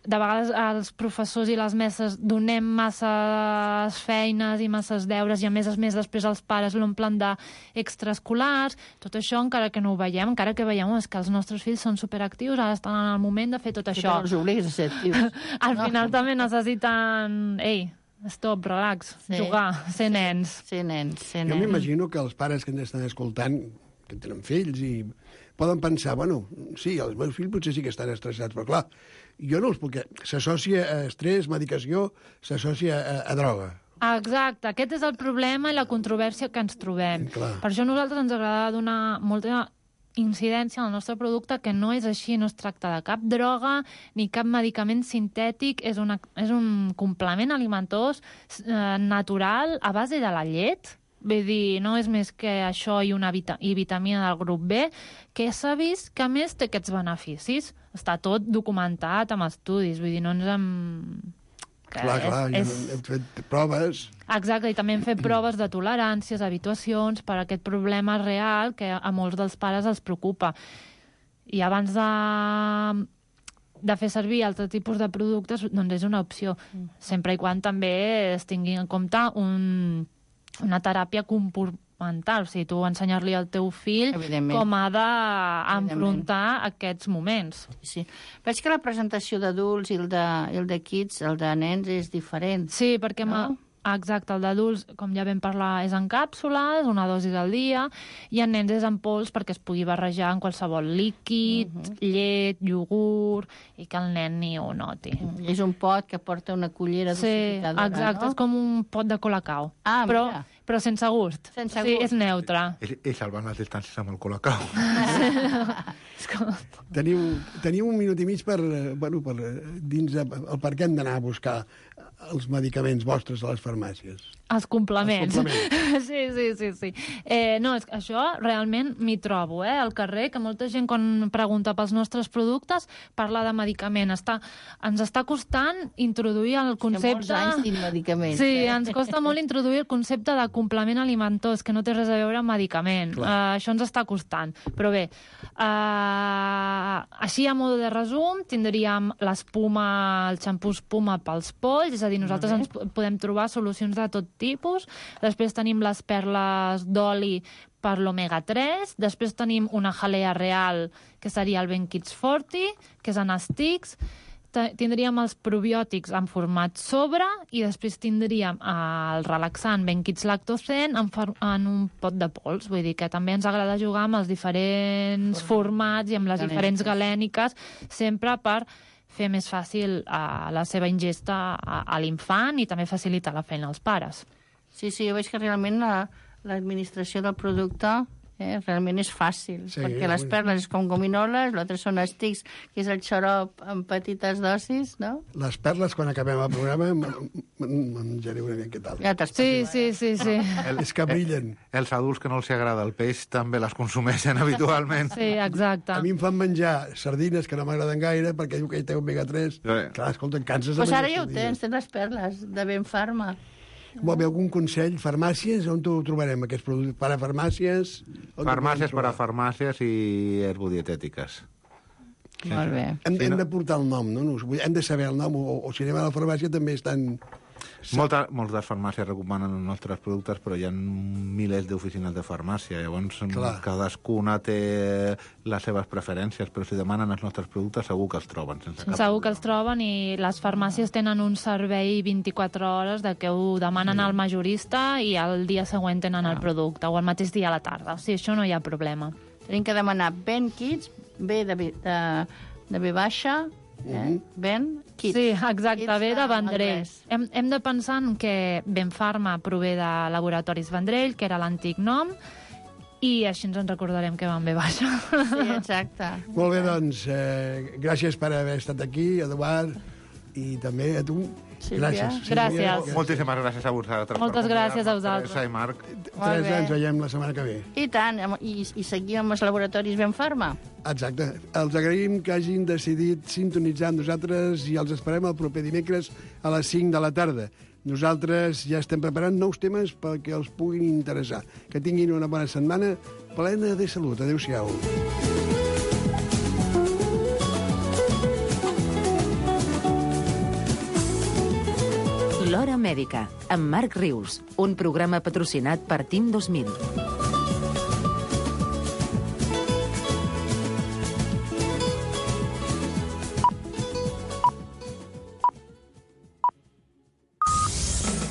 de vegades els professors i les mestres donem masses feines i masses deures i a més després els pares l'omplen d'extraescolars. Tot això, encara que no ho veiem, encara que veiem és que els nostres fills són superactius, ara estan en el moment de fer tot això. Els obligues a ser actius. Al final també necessiten... Stop, relax, jugar, ser nens. Ser nens. Jo m'imagino que els pares que ens estan escoltant, que tenen fills i poden pensar, bueno, sí, els meus fills potser sí que estan estressats, però clar, jo no els puc... S'associa a estrès, medicació, s'associa a droga. Exacte, aquest és el problema i la controvèrsia que ens trobem. Clar. Per això a nosaltres ens agrada donar molta incidència al nostre producte, que no és així, no es tracta de cap droga ni cap medicament sintètic, és un complement alimentós natural a base de la llet. Vull dir, no és més que això i una vitamina del grup B, que s'ha vist que a més té aquests beneficis. Està tot documentat amb estudis, vull dir, no ens hem... Clar, hem fet proves. Exacte, i també hem fet proves de toleràncies, habituacions, per aquest problema real que a molts dels pares els preocupa. I abans de fer servir altre tipus de productes, doncs és una opció, sempre i quan també es tingui en compte una teràpia comportamental, o sigui, tu ensenyar-li al teu fill com ha d'enfrontar aquests moments. Sí. Veig que la presentació d'adults i el de kids, el de nens, és diferent. Sí, perquè... Exacte, el d'adults, com ja vam parlar, és en càpsules, una dosi al dia, i en nens és en pols perquè es pugui barrejar en qualsevol líquid, llet, iogurt, i que el nen ni ho noti. És un pot que porta una cullera dosificadora, no? Sí, exacte, és com un pot de Colacao. Però sense gust. Sí, és neutre. I salvant les distàncies amb el Colacao. Teniu un minut i mig per dins el per què hem d'anar a buscar els medicaments vostres a les farmàcies. Els complements. Sí. No, és que això realment m'hi trobo, al carrer, que molta gent quan pregunta pels nostres productes parla de medicament. Ens està costant introduir el concepte... Que molts anys tinc medicaments. Sí, ens costa molt introduir el concepte de complement alimentós, que no té res a veure amb medicament. Això ens està costant. Però bé, així a modo de resum, tindríem l'espuma, el xampú espuma pels polls, és a dir, nosaltres ens podem trobar solucions de tot tipus. Després tenim les perles d'oli per l'omega-3. Després tenim una jalea real, que seria el Benkids Forti, que és en estics. Tindríem els probiòtics en format sobre i després tindríem el relaxant Benkids Lactocen en un pot de pols. Vull dir que també ens agrada jugar amb els diferents formats i amb les diferents galèniques, sempre per fer més fàcil la seva ingesta a l'infant i també facilitar la feina als pares. Sí, jo veig que realment l'administració del producte realment és fàcil, perquè les perles és com gominoles, l'altre són estics, que és el xarop en petites dosis, no? Les perles, quan acabem el programa, menjaré una mica tal. Sí. És que brillen. Els adults que no els agrada el peix també les consumeixen habitualment. Sí, exacte. A mi em fan menjar sardines que no m'agraden gaire perquè diu que hi té omega-3. Clar, escolta, canses de menjar sardines. Doncs ara ja ho tens les perles de Benfarma. Vol haver algun consell? Farmàcies? On ho trobarem, aquests productes? Per a farmàcies? Farmàcies per a farmàcies i herbodietètiques. Molt bé. Hem de portar el nom, no? Hem de saber el nom, o si anem a la farmàcia també estan... Moltes farmàcies recomanen els nostres productes, però hi ha milers d'oficines de farmàcia, llavors cadascuna té les seves preferències, però si demanen els nostres productes segur que els troben. Segur que els troben, i les farmàcies tenen un servei 24 hores de que ho demanen al majorista i el dia següent tenen el producte, o el mateix dia a la tarda. O sigui, això no hi ha problema. Tenim que demanar Benkids, B de B baixa, Ben Kids. Sí, exacte, ve de Vendrell. Hem de pensar que Benfarma prové de Laboratoris Vendrell, que era l'antic nom, i així ens en recordarem que van bé baixa. Sí, exacte. Molt bé, doncs, gràcies per haver estat aquí, Eduard, i també a tu. Gràcies. Moltíssimes gràcies a vosaltres. Moltes gràcies a vosaltres. Teresa i Marc. Teresa, ens veiem la setmana que ve. I tant, i seguim amb els laboratoris Benfarma. Exacte. Els agraïm que hagin decidit sintonitzar amb nosaltres i els esperem el proper dimecres a les 5 de la tarda. Nosaltres ja estem preparant nous temes perquè els puguin interessar. Que tinguin una bona setmana plena de salut. Adéu-siau. L'Hora Mèdica, amb Marc Rius, un programa patrocinat per TIM 2000.